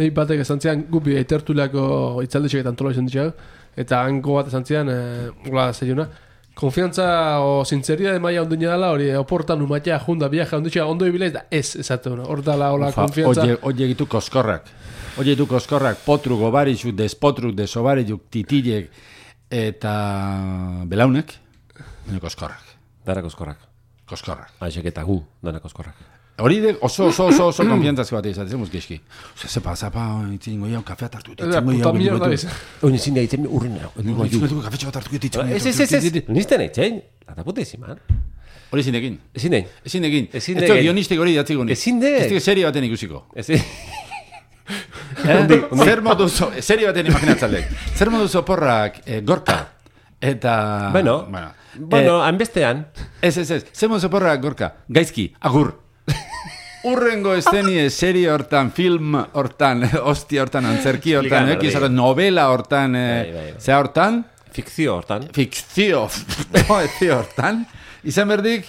Nei batek esan zian, gupi eitertulako itzaldetxek eta antola izan ditxak, eta hango bat esan zian, e, gola zeiuna, konfiantza o sinceridade maia ondina dela, hori oportan umatea, junda, viaja, onditxea, ondo ibileiz, da ez, esate hona, hor dala, hola, konfiantza. Oye, oye gitu koskorrak, oye gitu koskorrak, potruk, obarizuk, despotruk, desobarizuk, titilek, eta belaunek, nire koskorrak, Dara koskorrak. koskorrak. Aixek eta gu, dara koskorrak. Hori de oso, oso, oso, oso konfiantzazko bat izan, zemuz geski. Osa, zepa, zapa, itzingo jau, kafea tartu, Eta puta mierda izan. Oin ezin da itzen urrena. itzingo kafetxo bat tartu, itzingo Ez, ez, ez, ez, nizten eitzen. Lata puta iziman. Hori ezin egin. Ezin egin. Ezin egin. Ezin Ez da egin. guionistek hori datzik honi. Ezin de. Ez da serie baten ikusiko. Ezin. Zer modu zo, serie baten imaginatzalek. Zer modu zoporrak eh, gorka. Eta... Bueno, bueno, bueno, hanbestean. Ez, ez, ez. Zer modu zoporrak gorka. Gaizki, agur. Urrengo estenie serie hortan, film hortan, hostia hortan, antzerki hortan, Explica, ekiz berdin. hortan, novela hortan, Bai, eh, bai, bai. zea hortan, Fikzio hortan. fikzio, fikzio hortan, izan berdik,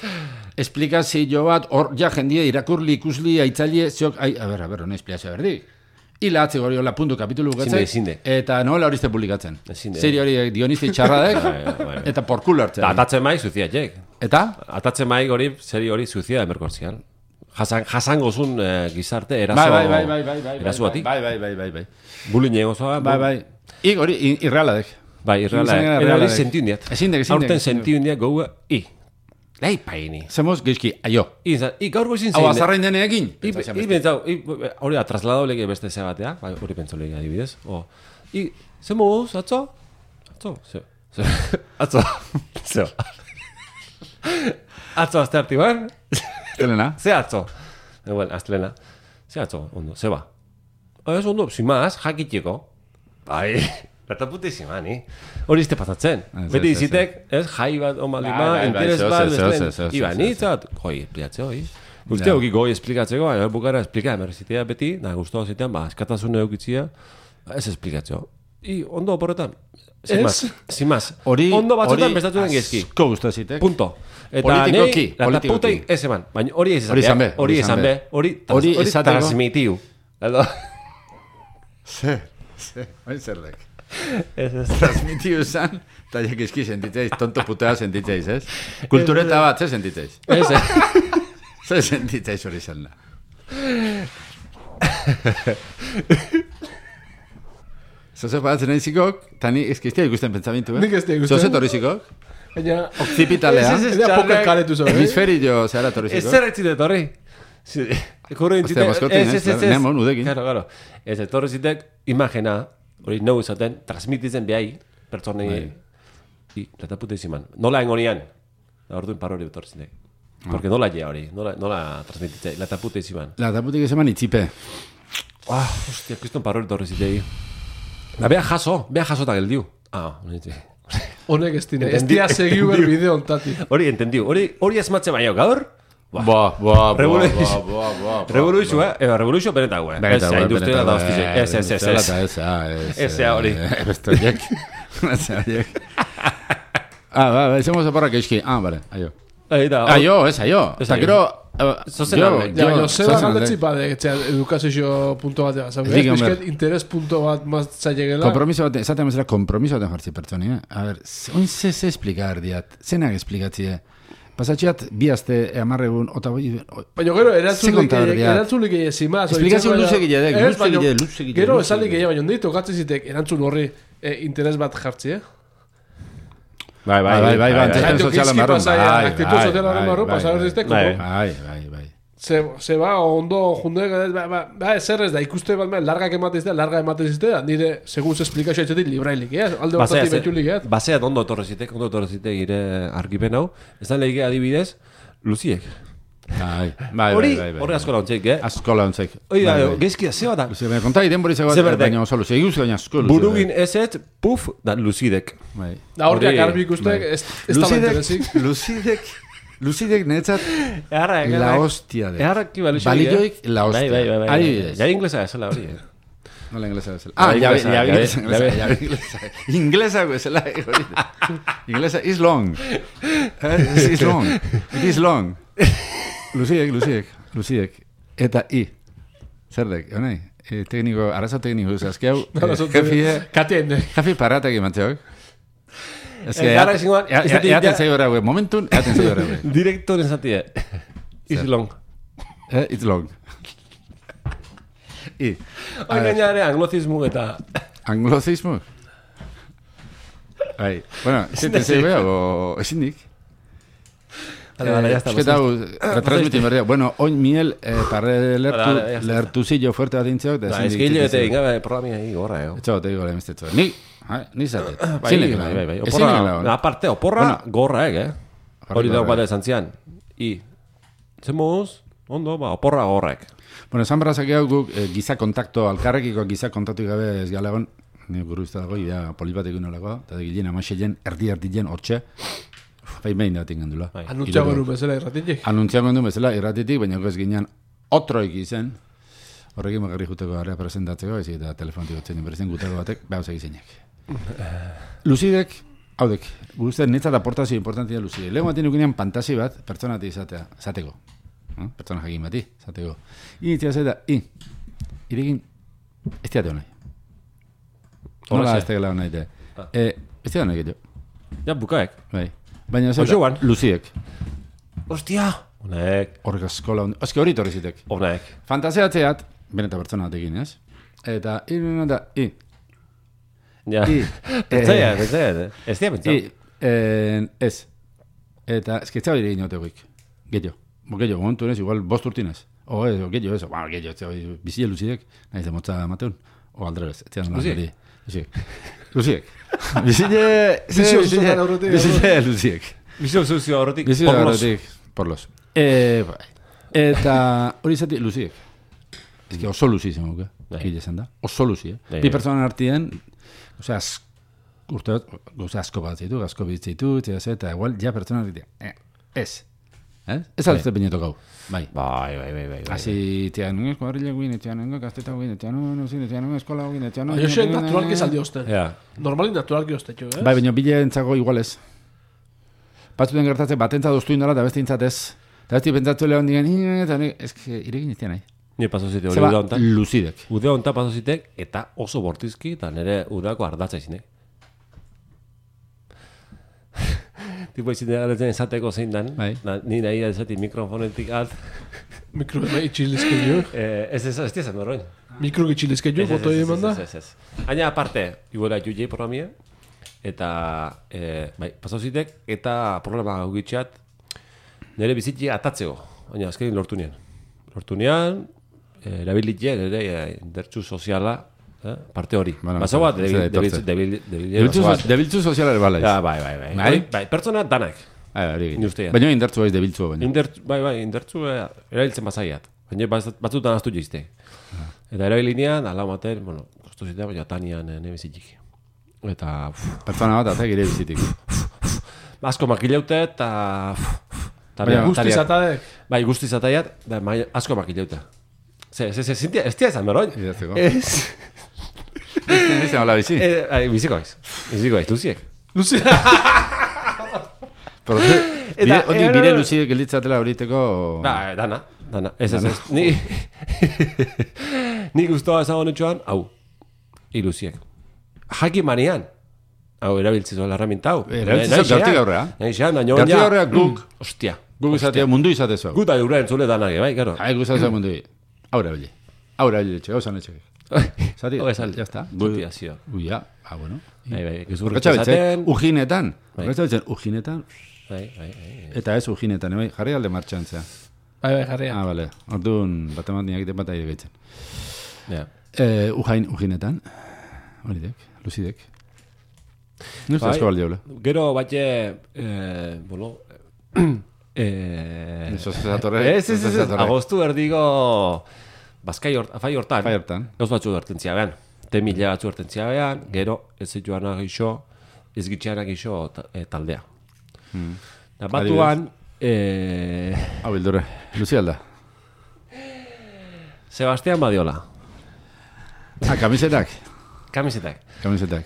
esplikazio bat, hor, ja, jendie, irakurli, ikusli, aitzaile, ziok, ai, a ber, a ber, hone esplikazio berdik. Ila atzi gori hola puntu kapitulu bukatzen, Ezin de, ezin de. eta nola hori izte publikatzen. Ezin de. Serie hori guioniste txarradek, Bai, bai, bai. eta porkulo hartzen. Da, atatzen mai zuzia txek. Eta? Atatzen mai hori, seri hori zuzia emerkortzian. Jasan, jasangozun eh, gizarte eraso... Bai, bai, bai, bai, bai, bai, Eraso bai, batik. bai, bai, bai, bai, bai, Bulin egozoa. bai, bai. Ik hori, i- irrealadek. Bai, irreala. Izan gara Era hori realadek. sentiu indiat. Ezin dek, ezin dek, Aurten ezin dek. sentiu indiat goua, i. Lehi paini. Zemoz, geizki, aio. I, zan, i gaur goizin Hau, zein. azarrain deneekin? I, i pentsau, i, hori da, trasladau lege beste ze batea, bai, hori pentsau lege adibidez. O, I, ze moguz, atzo? Atzo? Ze, ze, atzo, zeo. Atzo azte artiban? Elena? Ze atzo? E, bueno, aztelena. Ze atzo, ondo, ze ba? Ez ondo, zimaz, jakiteko. Bai, eta putizima, ni. Hori izte pasatzen. Ez, Beti ez, ez, izitek, ez, jai bat, Bai, omalima, bai, bai, interes zeo, bat, zeo, zeo, bestelen. zeo, zeo, Iba, zeo, nitzat, goi, espliatze hoi. Guzti Ja. hauki goi esplikatzeko, baina bukara esplika, emerzitea beti, da, guztua zitean, ba, eskatasune eukitzia, ez esplikatzeo. I, ondo oporretan. Zimaz, zimaz. Hori, Ondo batzutan hori bestatu den gezki. asko gustazitek. Punto. Eta Politikoki, nei, lata politikoki. putei ez eman. Baina hori ez Hori izan be, Hori izan be. Hori Hori hori esateko- transmitiu. Edo. Ze, ze, hain zerrek. Ez ez. Transmitiu zan, eta jak eski sentitzeiz, tonto putea sentitzeiz, ez? Kultureta bat, ze sentitzeiz? Ez ez. Ze sentitzeiz hori zan da. Zoze paratzen nahi zikok, eta ni eskiztia ikusten pentsamentu, eh? Nik ez dira ikusten. Zoze torri zikok, Baina, okzipitalea, Ez, ez, ez. eda poker karetu zo, eh? hemisferio zehara torri Ez zikok. zer etzite torri. Ekorre Ostia, maskotin, ez? Nemo, nudekin. Claro, claro. Ez etorri zitek imagena, hori nou izaten, transmititzen behai, pertsonei, i, lata pute iziman. Nola engonian, da orduin par hori etorri zitek. Porque nola ja hori, nola, nola transmititzen, lata pute iziman. La taputik ezeman itzipe. Ah, hostia, kriston par hori etorri zitei. Da, bea jaso, bea jaso eta geldiu. Ah, honetxe. honek ez dine, ez Entendi- dia segiu ber bideo ontati. Hori entendiu, hori hori esmatze baino gaur. Boa, boa, boa, Revolution. boa, boa, boa. Revolution, eh? Eba, Revolution benetago, eh? Ez, Benetago, industria da benetago, hostize. eh, Ez, ez, ez, industriala ez. eta ez, ah, ez, Ez, ja, hori. eh, Beste horiek. Beste horiek. Ah, ba, ba, izango zaporrak eski. Ah, bale, aio. Ei, da, Aio, ez, aio. Ez, Eta aio. gero... eh, Zozen jo, alde. Ja, jo, jo, zeba zozen alde. galdetzi bade, etxea, edukazio punto batea, zabe? Dik, hombre. Bizket interes punto bat maztzailegela. Kompromiso baten, esaten bezala kompromiso baten jartzi pertsoni, eh? A ber, ze- oin ze ze esplicar diat, zenak esplikatzie. Pasatxeat, bi azte, amarregun, ota boi... Baina gero, erantzulik egin zimaz. Esplikazio luze gilladek, luze gilladek, luze gilladek. Gero, esalik egin, baina ondit, okatzen zitek, erantzun horri interes bat jartzi, eh? Bai, bai, bai, bai, bai, antzesten sozialan barron. Aktitu sozialan barron, pasar ziztek, bai, bai, bai. Se ba, ondo jundek, ba, zer ez da, ikuste bat, largak ematezte, larga ematezte, nire, segun ze esplikazio etxetik, librailik, eh? Alde batati betxulik, eh? Baseat ondo etorrezitek, ondo etorrezitek gire argipen hau, ez da lehike adibidez, luziek. Bai, bai, hori, bai, bai. Hori asko launtzeik, eh? Asko launtzeik. Hori da, geizkia, zeba da. Luzi, baina konta iden bori zegoat, baina oso luzi, eguz gaina asko luzi. Burugin ezet, puf, da luzidek. Bai. Da horriak arbi ikustek, ez da bainterezik. Luzidek, luzidek netzat, la hostia de. Eharrak kiba luziek, balioik, la hostia. Bai, bai, bai. Ja inglesa ezela hori, eh? Nola inglesa bezala. Ah, ya inglesa. Inglesa bezala. Inglesa is long. It is long. It is long. Luziek, luziek, luziek. Eta i. Zerdek, honai. Tekniko, arazo tekniko, azkiau. Jefie. Katien. Jefie paratak imatzeok. Ez que, eaten zei horra, momentun, eaten zei horra. Direktoren zatie. Is long. It's long. I. Hoi gainare anglozismu eta... Anglozismu? Bai. Bueno, zeten zei beha, o esindik? Vale, vale, ya está. Es que tau, retransmitin berria. Bueno, oin miel, parre lertuzillo fuerte bat intzeok. Es que hile bete ingabe programia hii gorra, eh? Etxo, te digo, lehenbestetxo. Ni, ni zatet. Bai, bai, bai. Oporra, aparte, oporra gorra, eh? Hori dago bat esan zian. I, zemuz, ondo, ba, oporra gorrek. Bueno, esan barrazak hau guk giza kontakto, alkarrekiko giza kontaktu gabe ez galegon, ni guru izta dago, idea polibatek unolako, eta gilien amaxeien, erdi-erdien, hortxe, bai behin da tingan dula. Anuntziago du bezala irratitik? Anuntziago du bezala irratitik, baina ez ginean otroik izen, horrekin magarri juteko area presentatzeko, ez eta telefonatik otzen inbertzen gutako batek, behar egizenek. Luzidek, haudek, guztien netzat aportazio importantia luzidek. Lego batin ukinean fantasi bat, pertsonatik izatea, zateko. ¿no? Pertsona jakin bati, zateko. Initzia zeta, i, irekin, ez teate honai. Nola ez tegela honai te. Ez teate honai gehiago. Ja, bukaek. Bai. Baina zeta, luziek. Ostia! Honek. Horrek askola hondi. Oski hori torrizitek. Honek. Fantasiatzeat, beneta pertsona batekin, ez? Eta, i, da, i. Ja. I. Pentsaia, pentsaia. Ez tia pentsau. I, ez. Eta, esketza hori egin otegoik. Gehiago. Bo gehiago, momentu ez, igual bost urtinez. O, ez, o, gehiago, ez, o, gehiago, ez, bizile luzidek, nahi ze motza mateun. O, aldrez, ez zian. Luziek? Luziek. Luziek. Bizile... Bizile luziek. Bizile zuzio horretik, Bizile horretik, porlos. E, bai. Eta hori izati, luziek. Ez que oso luzi zen, oke? Gile zen da. Oso luzi, eh? Bi pertsonan artien, osea, urte bat, gauza asko bat zitu, asko bitzitu, eta igual, ja pertsonan artien. Eh, ez. Eh? Ez altzte pineto gau. Bai. Bai, bai, bai, bai. Asi, tia nunga eskuadrilla guin, tia nunga gazteta guin, tia nunga tia nunga eskola guin, tia nunga... Aio xe, naturalki saldi osten. Normalin naturalki ostetxo, eh? Bai, baina bile entzago igual ez. Batzuten gertatze, batentza doztu indala, eta beste intzatez. Eta besti pentsatu lehon digan, eta ez que irekin iztia nahi. Nire pasozite hori uda onta. Luzidek. Uda onta pasozitek, eta oso bortizki, eta nire udako ardatza izinek. Tipo izin dira esateko zein dan, ni nahi da esati mikrofonetik alt. Mikro itxilizke jo? Ez ez, ez tizan horrein. Mikro itxilizke jo, boto egin manda? Ez ez, ez. Aina aparte, iguela jujei programia, eta, bai, pasauzitek, eta problema gugitxeat, nire bizitxe atatzeko, baina azkenin lortu nian. Lortu nian, erabilitxe, nire indertsu soziala, parte hori. Baso bat, debiltzu sozialare balaiz. Bai, bai, bai. Bai, pertsona danak. Baina indertzu baiz debiltzu baina. Bai, bai, indertzu erabiltzen bazaiat. Baina batzutan aztu jizte. Eta erabilinean, ala maten, bueno, kostu zitea, baina tanian nebizitzik. Eta... Pertsona bat, eta gire bizitik. Asko makileute, eta... Baina guzti zatadek? Bai, guzti zataiat, asko makileute. Ez tia ezan, beroin? Ez... Ez da hola bizi? Biziko aiz. Biziko aiz, luziek. Luziek? Hori bire luziek gelditzatela horiteko... Ba, dana, dana. Ez, ez, ez. Ni... Ni guztua ezagon etxoan, hau. I luziek. Jaki manian. hau erabiltzizu herramienta hau. Erabiltzizu gartik aurrea. Naixean, naino Gartik aurrea guk. Ostia. Guk izatea mundu izatezu. Guta eura entzule danak, bai, karo. Hai, guk izatea mundu. Aura bile. Aura bile, txe, gauza netxe. Zati, ya está. Motivazio. Uia, ah, bueno. Bai, bai, gezurrik esaten. Ujinetan. Horretza ujinetan. Bai, bai, bai. Eta ez ujinetan, bai, jarri alde martxan zea. Bai, bai, jarria. Ah, bale. Orduan, bat emat niak bat aire gaitzen. Ja. Eh, ujain, ujinetan. Horidek, luzidek. Nuz Bai, asko baldeola. Gero, batxe, eh, bolo, eh... Eso se zatorre. Ez, ez, ez, agostu erdigo, bazkai hort, afai hortan. Afai hortan. Gauz batzu ertentzia behan. Temila batzu ertentzia behan, gero, ez zituana gixo, ez gitxeana gixo e, taldea. Hmm. Da batuan, eh... Hau bildurre, luzi alda. Sebastián Badiola. Ah, kamisetak. Kamisetak. Kamisetak.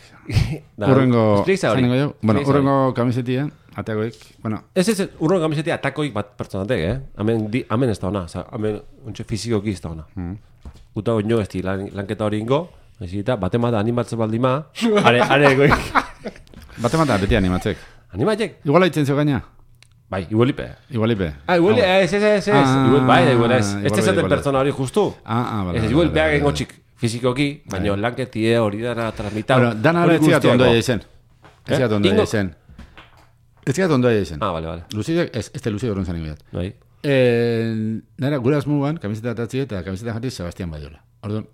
Da, Urrengo... explica hori. zanengo jo? Bueno, Explica urrengo kamisetia, ateagoik, bueno... Ez, ez, ez, urrengo kamisetia atakoik bat pertsonatek, eh? Hemen, di, hemen ez da ona, oza, hemen, untxe fizikoki ez da ona. Mm. Uta oino ez di lan, lanketa hori ingo, ez eta bate mata animatzen baldima, are, are egoik. Bate mata, beti animatzek. Animatzek? Igual haitzen zeu gaina? Bai, igualipe. Igualipe. Ah, igual, ez, ez, ez, ez, Ah, igual, bai, igual ez. igual, Ez tezaten igual ez. pertsona hori justu. Ah, ah, bale. Ez, bale, igual, bale, beha bale, gengo bale. txik fizikoki, baina lanketie hori dara transmita. Bueno, dana hori etzigat ondo izen. Etzigat ondo Ingo- izen. Etzigat ondo izen. Ah, bale, bale. Luzidek, ez, ez te luzidek horren zanik bidat. Bai. Eh, nara, gura asmuan, kamiseta atatzi eta kamiseta jarri Sebastián Badiola. Orduan,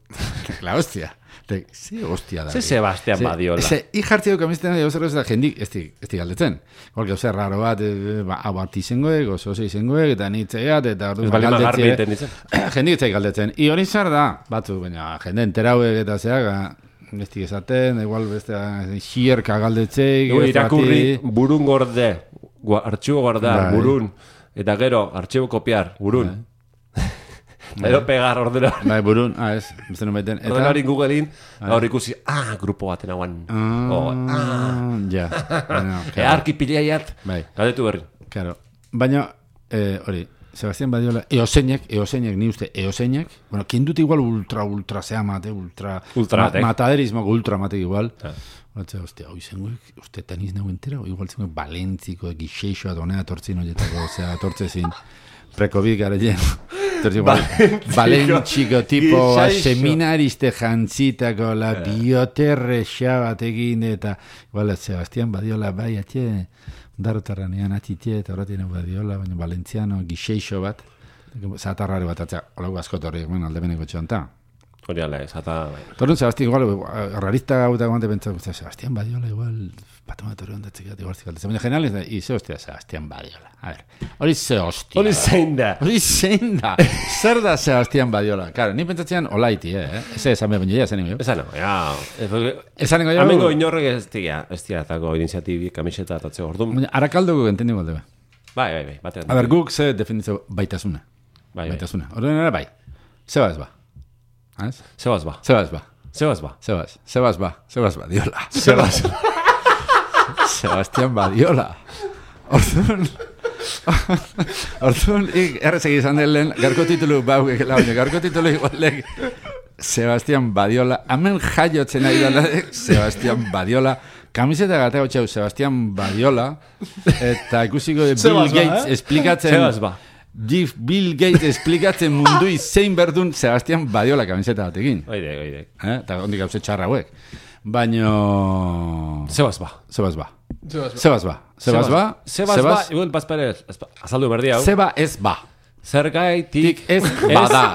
la hostia. Te, ze hostia da. Ze Sebastián Badiola. Ze, i jartzi du kamiseta nahi gauzerro ez da jendik, ez di, ez di galdetzen. Igual gauza raro bat, eh, ba, hau bat izengoek, oso ze izengoek, eta nitzeiat, eta Ez orduan bali ma garbi galdetzie. iten ditzen. Jendik etzai galdetzen. I hori zar da, batzu, baina jende enterauek eta zeak, ez di esaten, igual beste xierka galdetzeik. Gure ez irakurri bati. burun gorde, gua- artxibo guardar, Bai. burun, eta gero artxibo kopiar, burun. Gero pegar ordenador. Bai, burun, ah, ez, beste non baiten. Ordenador Googlein, hor ikusi, ah, grupo baten hauan. Ah, Oh, ah. ja. Bueno, E arki pilaiat, Bai, galdetu berri. claro. Baina, eh, hori, Sebastián Badiola, eoseinek, eoseinek, ni uste, eoseinek, bueno, quien dute igual ultra, ultra sea mate, ultra, Ultra ma, matek. mataderismo, ultra mate igual. Ah. Batza, hostia, hoi zenguek, uste teniz nago entera, o igual zenguek Valentziko, gixeixoa, donea tortzin horietako, osea, tortzezin, prekobik gareien. Tortzin, Valentziko, tipo, Gixeixo. seminariste jantzitako, la bioterre xabatekin, eta, igual, Sebastián Badiola, bai, atxe, darotarranean atitie, eta horretien Badiola, baina Valentziano, gixeixo bat, zatarrari bat, atzea, olago askotorri, bueno, aldebeneko txonta. Hori ala, ez, eta... bai. Torun, Sebastián, igual, rarista gauta guante pentsatu, Sebastián Badiola, igual, patomatori ondatzek, igual zikaltezen. Baina general, ez da, i, ze hostia, Sebastián Badiola. A ver, hori ze hostia. Hori zein da. Hori zein da. Zer da Sebastián Badiola? Claro, ni pentsatzean olaiti, eh? Ez esan behar baina, esan nio. Eza no, ja... ez, porque- Esan nengo Amengo jo. inorrek ez dira, ez dira, etako iniziatibi, kamiseta, atatze orduan. Baina, arakaldoko entendi golde. Bai, bai, bai, batean. A ber, guk ze definitzo baitasuna. Bai, bai. Baitasuna. Horren ere bai. Zeba ez ba. Ez? Zebaz ba, Zeba ez ba. zebaz ba. Zebaz. Zebaz ba. Zebaz Badiola. Zebaz. Sebastián Badiola. Orduan... Orduan, ik errezek izan den lehen, garko titulu bau gekela, baina garko titulu igualek Sebastián Badiola, hemen jaiotzen ari dela, Sebastián Badiola, kamiseta gateo txau Sebastián Badiola, eta ikusiko de Bill Sebas ba, Gates eh? esplikatzen... Zebaz ba. Gif Bill Gates esplikatzen mundui zein berdun Sebastián Badiola kamiseta batekin. Oide, oide. Eh? Eta ondik hauze txarra hauek. Baino... Zebaz ba. Zebaz ba. Zebaz ba. Zebaz ba. Zebaz ba. Zebaz ba, igual bazpere, azaldu berdi hau. Zeba ez ba. Zergaitik Tik ez bada.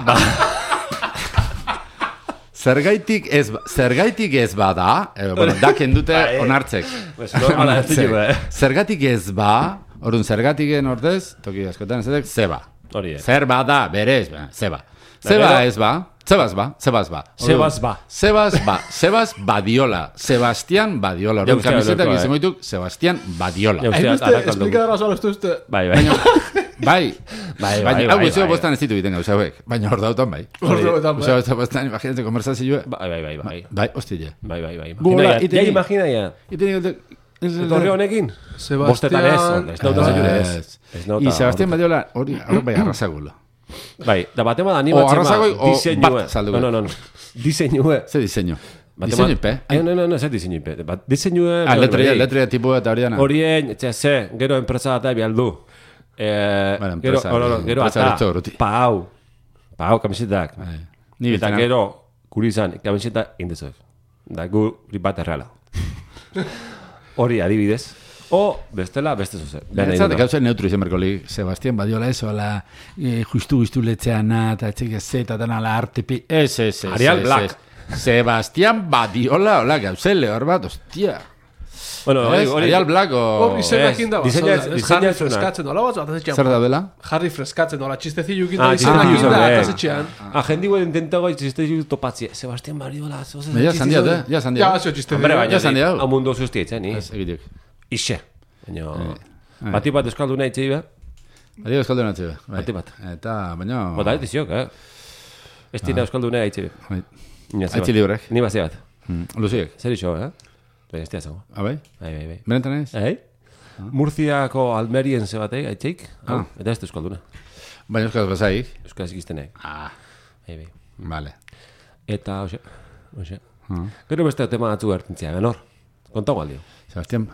Zergaitik ez ba. Zergaitik ez bada. Eh, bueno, da kendute Bai. onartzek. Pues normala ez ditu, eh. Zergatik ez ba. Orduan, zergatiken ordez, toki askotan ezetek, zeba. Hori, eh. Zer bada, berez, ba, zeba. Zeba gero- ez ba. Zebaz ba, zebaz ba. Zebaz ba. Zebaz ba, Zebaz Badiola. Sebastián Badiola. Orduan, ustea, kamisetak lokoa, eh. izango dituk, Sebastián Badiola. Ja, Hain ustea, uste, arakaldo. esplikadara sola, uste, uste. Bai, bai. Bai, Bai, baina, bai, hau bai, guztio bai. bostan ez ditu egiten gauza hauek. Baina hor dautan bai. Orduetan, bai. Gauza bostan, imaginatzen, konversazioa. Bai, bai, bai, bai. Bai, hostile. Bai, bai, bai. Gu hola, Imagina, ja, iteni- ja imagina, ja. Iten egote... Torre honekin? Bostetan ez, Sebastián... ez nauta zailu ez. Ez nauta. I Sebastián Badiola, hori, hori bai arrasagulo. Bai, da batema da animatzen O arrazagoi, o diseinue. bat salduko. No, no, no. Diseinue. Ze diseño? Diseinupe? No, no, no, ez diseinupe. Diseinue... Ah, letria, letria tipu eta hori dana. Horien, etxe, ze, gero enpresa bat ebi aldu. Gero, gero, ata, pau. Pau, kamisetak. Eta gero, guri izan, kamiseta indezuek. Da, guri bat erreala. Hori adibidez. O, bestela, beste zuze. Benetzat, gauza neutru izan berkolik. Sebastián badiola eso, la justu-justu letzeana, eta etxek ez eta dana la artepi. Ez, ez, ez. Arial Black. Sebastián badiola, hola, gauzele, hor bat, ostia. Bueno, Arial Black o... Hor izenak inda bat. Diseña freskatzen dola bat, eta zetxean. Zer daudela? Jarri freskatzen dola, txistezillu ginda izenak inda, eta zetxean. Ah, jendi guen intentago txistezillu topatzi. Sebastián badiola, zoze... Ja, zandiat, eh? Ja, zandiat. Ja, zio txistezillu. Hombre, Ja, zandiat. baina, amundu zuztietzen, ni? Ez, egitek. Ixe. Baina, bati bat euskalduna itxei be. Bati euskalduna itxei be. Bati bat. Eta, baina... Bota, ez diziok, eh? Ez dira euskalduna itxei be. Aitzi librek. Ni bazi bat. Luziek. Zer iso, eh? Baina ez diazago. Ah, bai? Bai, bai, bai. Benetan ez? Bai? Murziako Almerien zebatek, aitzeik. Eta ez da euskalduna. Baina euskal bazaik. Euskal zikiztenek. Ah. Bai, bai. Vale. Eta, hoxe, hoxe. Gero beste tema atzu gertintzia, genor. Kontago aldio. Sebastián.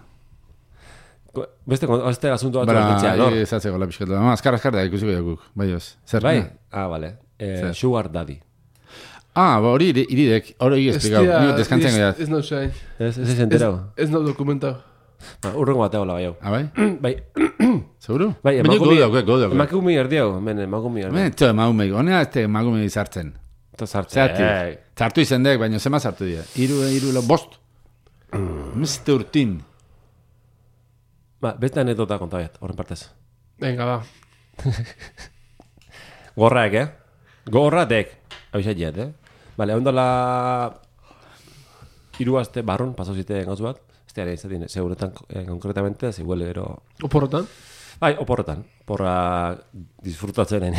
Beste, beste asunto atzu Bara, gertintzia, genor. ez atzeko la pixkatu. Ma, azkar, azkar da ikusiko jakuk. Bai, os. Zer? Bai? Ah, vale. Sugar Daddy. Ah, ba, hori iridek, hori esplikau. Nio deskantzen gaiat. Ez nau zein. Ez ez enterau. Ez nau dokumentau. Urrengo bateo la baiau. Ah, bai? Bai. Seguro? Bai, Baina emakumea. godo, godo. Emakumea erdiau, men emakumea erdiau. Men, to emakume, honea ez te emakume izartzen. Eta sartzen. Zertik. Zartu izendek, baina zema zartu dira. Iru, iru, lo, bost. Meste urtin. Ba, beste anedota kontabiat, horren partez. Venga, ba. Gorraek, eh? Gorratek. Hau izaiet, eh? Vale, ondala... Iru aste barron, pasau zite gauzu bat. Ez teare izatin, seguretan eh, konkretamente, ziguele gero... Oporrotan? Bai, oporretan. Porra disfrutatzen.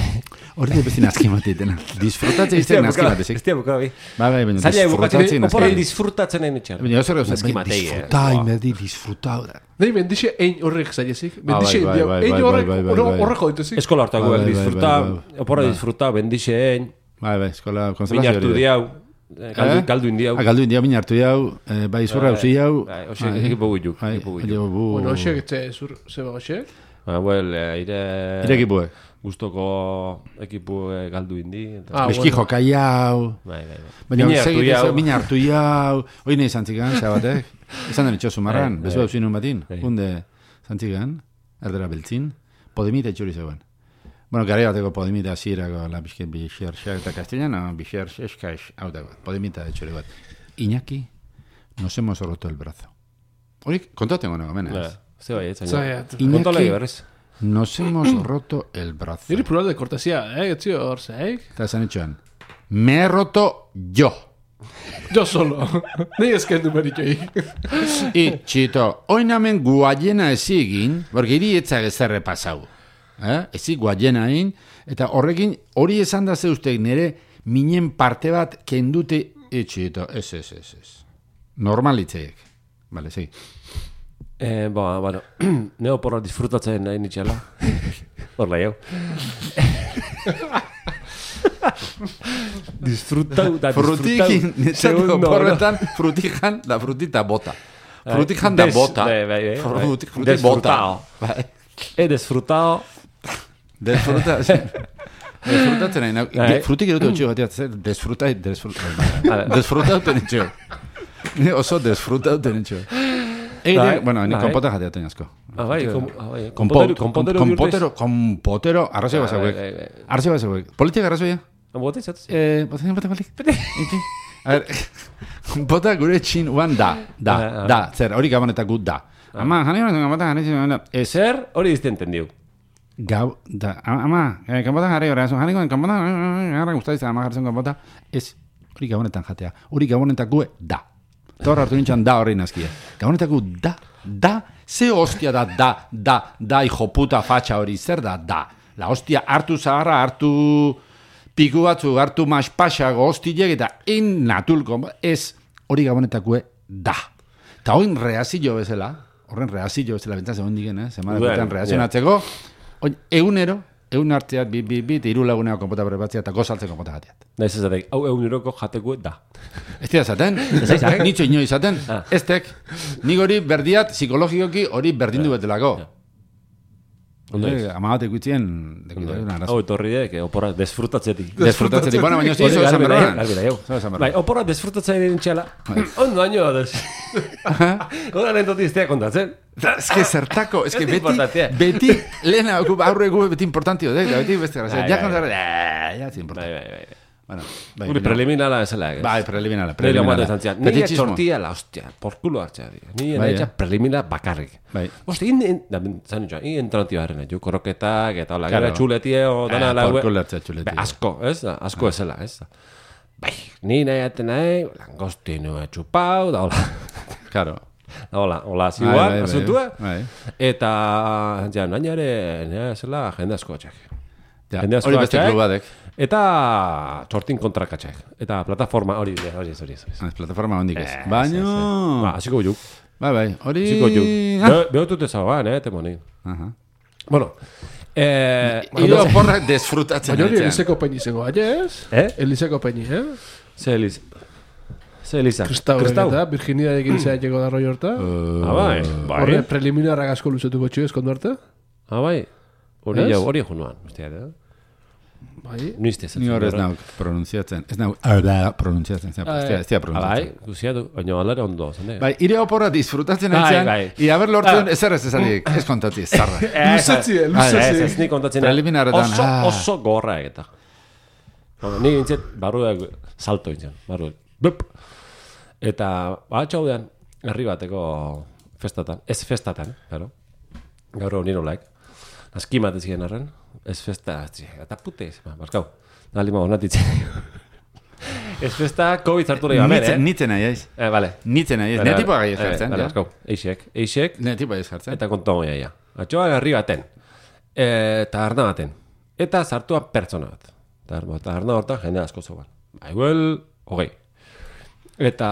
Hori da besti nazki matitena. Disfrutatzen izten nazki matezek. Ez tia bukara, bi. Ba, bai, baina Zaila bukatzen, disfrutatzen oporra nazki. disfrutatzen egin itxar. Baina oso gauza, Nazki matei, eh. disfruta, inberdi, disfruta. Nahi, bendixe ein horrek zailezik. Bendixe bai, bai, ein bai, horrek bai, bai, bai. horreko dituzik. Eskola hartak Bai, guek bai, disfruta, bai, bai. oporra Bai. disfruta, bendixe egin, Bai, bai, eskola mina konsolazio hartu hori. diau, galdu, galdu indiau. Ah, galdu india mina hartu diau, eh, bai zurra usi jau. Bai, hoxe, ekipo guiuk, Bai, ekipo guiuk. ekipo gu. Bueno, hoxek, etxe, zur, zeba hoxek. Ba, well, ire... Ire ekipuek. Gustoko ekipu galdu indi. eta- Ah, Eski bueno. joka jau. Bai, bai, bai. Baina Mina hartu segit ez, jau. mina hartu jau. Hoi nahi zantzikan, xabatek. Esan den itxo sumarran, Bai, bezu bai. hau zinun batin. Bai. Hunde zantzikan, erdera beltzin. Podemita itxuri zegoen. Bueno, gara bateko Podemita zirako, la bizken bixerxak eta castellano, bixerxeskaix, hau dago, Podemita itxuri bat. Iñaki, nos hemos roto el brazo. Hori, kontaten gona gomen, Bai, ez? ze bai, ez Zai, zaino. at- Kontala berrez. Nos hemos roto el brazo. Niri plural de cortesía, eh? Etzio hor zeik. Eta esan itxoan, me he roto yo. Jo solo. Nei esken numeritxoik. I, txito, oinamen guaiena ezi egin, porque hiri etzak ezerre pasau. Eh? Ezi guaiena egin, eta horrekin, hori esan da zeustek nire minen parte bat kendute, e, txito, ez, ez, ez, ez. Normalitzeek. Vale, segi. Eh, ba, bueno, neo porra disfrutatzen nahi nitxela. Horla jau. Disfrutau da Frutikin, netzako porretan, frutijan, da frutita bota. Frutijan da Des- bota. bai, bai, bai. Fruti, fruti bota. Desfrutao. Bai. He disfrutao. Desfruta, desfrutatzen nahi, nau- Bai. frutik erotu txio bateat, zer, desfruta, desfruta, Vale. desfruta uten txio. Ni oso desfruta uten txio. Bai, Egite, bueno, ni bai. konpota jatea teñazko. Ah, bai, kom, ah, bai. Kompotero, Kompotero, kompotero, kompotero, arrazoi Ah, basauek. bai, bai, bai. Arrazoi basauek. Politika arrazoia? Bote izatuz? Eh, botatzen bota balik. A ver, kompota gure txin uan da, da, Ah, ah. da, zer, hori gabonetak gut da. Ama, jani honetan kompota jani ziren da. Ez, Ezer, hori dizte entendiu. gau, da, ama, eh, kompota jarri hori, jani goen kompota, gara guztadiz, ama jartzen kompota, ez, hori gabonetan jatea, hori gabonetak gue da. Eta hor hartu nintzen da horrein azkia. Gabonetak gu da, da, ze hostia da, da, da, da, hijo puta fatxa hori, zer da, da. La hostia hartu zaharra, hartu piku batzu, hartu maspaxago hostilek, eta in natulko, ez, hori gabonetakue da. Eta hoin reazillo bezala, horren reazillo bezala, bentzaz egon digen, eh? Zemara Udan, betan reazionatzeko, oin, egunero, eun hartziat, bi, bi, bi, iru lagunea konpota prepatzea eta gozaltzen konpota jatiat. Naiz ez daik, hau eun euroko jateko da. Ez dira zaten, nitzo ino izaten, ez tek, nik hori berdiat, psikologikoki hori berdindu betelako. Amagatek guitzien, hau etorri dek, opora desfrutatzetik. Desfrutatzetik, bueno, baina zizo esan berroan. Bai, opora desfrutatzetik txela, ondo baino adez. Oda lehen iztea kontatzen. Ez que zertako, ez que beti, beti, lehena, aurre gu beti importantio, beti beste grazia. Ja kontzara, ja, ez importante. Bueno, bai, preliminala esela. Bai, preliminala, preliminala. Nire txortia la, hostia, por culo hartzea. Nire bai, preliminala bakarrik. Bai. Hostia, in, zan nitxoa, in entranatioa herrena, jo, korroketak, eta hola, gara txuletie, o dana la... Por culo hartzea txuletie. Asko, ez? Asko esela, ez? Bai, ni nahi aten nahi, langostino etxupau, da hola. Claro. Da hola, hola, ziguan, asuntua. Eta, ja, nahi ere, nire esela jende asko atxak. Hori beste klubadek. Eta txortin kontrakatxak. Eta plataforma hori, hori ez, hori ez. Plataforma hondik ez. Baina... Ba, hasiko juk. Bai, bai, hori... Hasiko juk. Behotut ezagoan, eh, temoni. Bueno. Iro porrak desfrutatzen. Baina hori Eliseko peini zengo, ez? Eh? Eliseko peini, eh? Ze Elis... Ze Elisa? Kristau. Eta, Virginia ekin izan jego da roi horta. Ah, bai. Horre preliminarrak asko luzetuko txu ezkondu arte. Ah, bai. Hori jau, hori junuan. Bai. Ni hor ez nauk pronunziatzen. Ez nauk arda pronunziatzen. Ez dira pronunziatzen. Bai, guziatu. Baina alare ondo. Bai, ire oporra disfrutatzen entzean. I haber lortzen ezer ez ezatik. Ez kontatzi, ez zarra. Luzetzi, luzetzi. Ez ni kontatzen. Preliminaretan. Oso, oso gorra egeta. Ni gintzet, barruak salto gintzen. Barruak. Bup. Eta, batxau dean, herri bateko festatan. Ez festatan, claro. Gaur hori nolaik. Azki matez gen arren. Ez festa, eta pute, baskau. Nali ma honatitzen. Ez festa, COVID hartu nahi bamen, eh? Nitzen nahi, aiz. Eh, vale. Nitzen nahi, aiz. Ne tipo agai ez jartzen. Bale, baskau. Eixek, eixek. Ne tipo agai ez jartzen. Eta kontu hau jaia. Atxoa garri baten. Eta arna baten. Eta zartua pertsona bat. Eta arna hortan jende asko zogan. Baiguel, hogei. Eta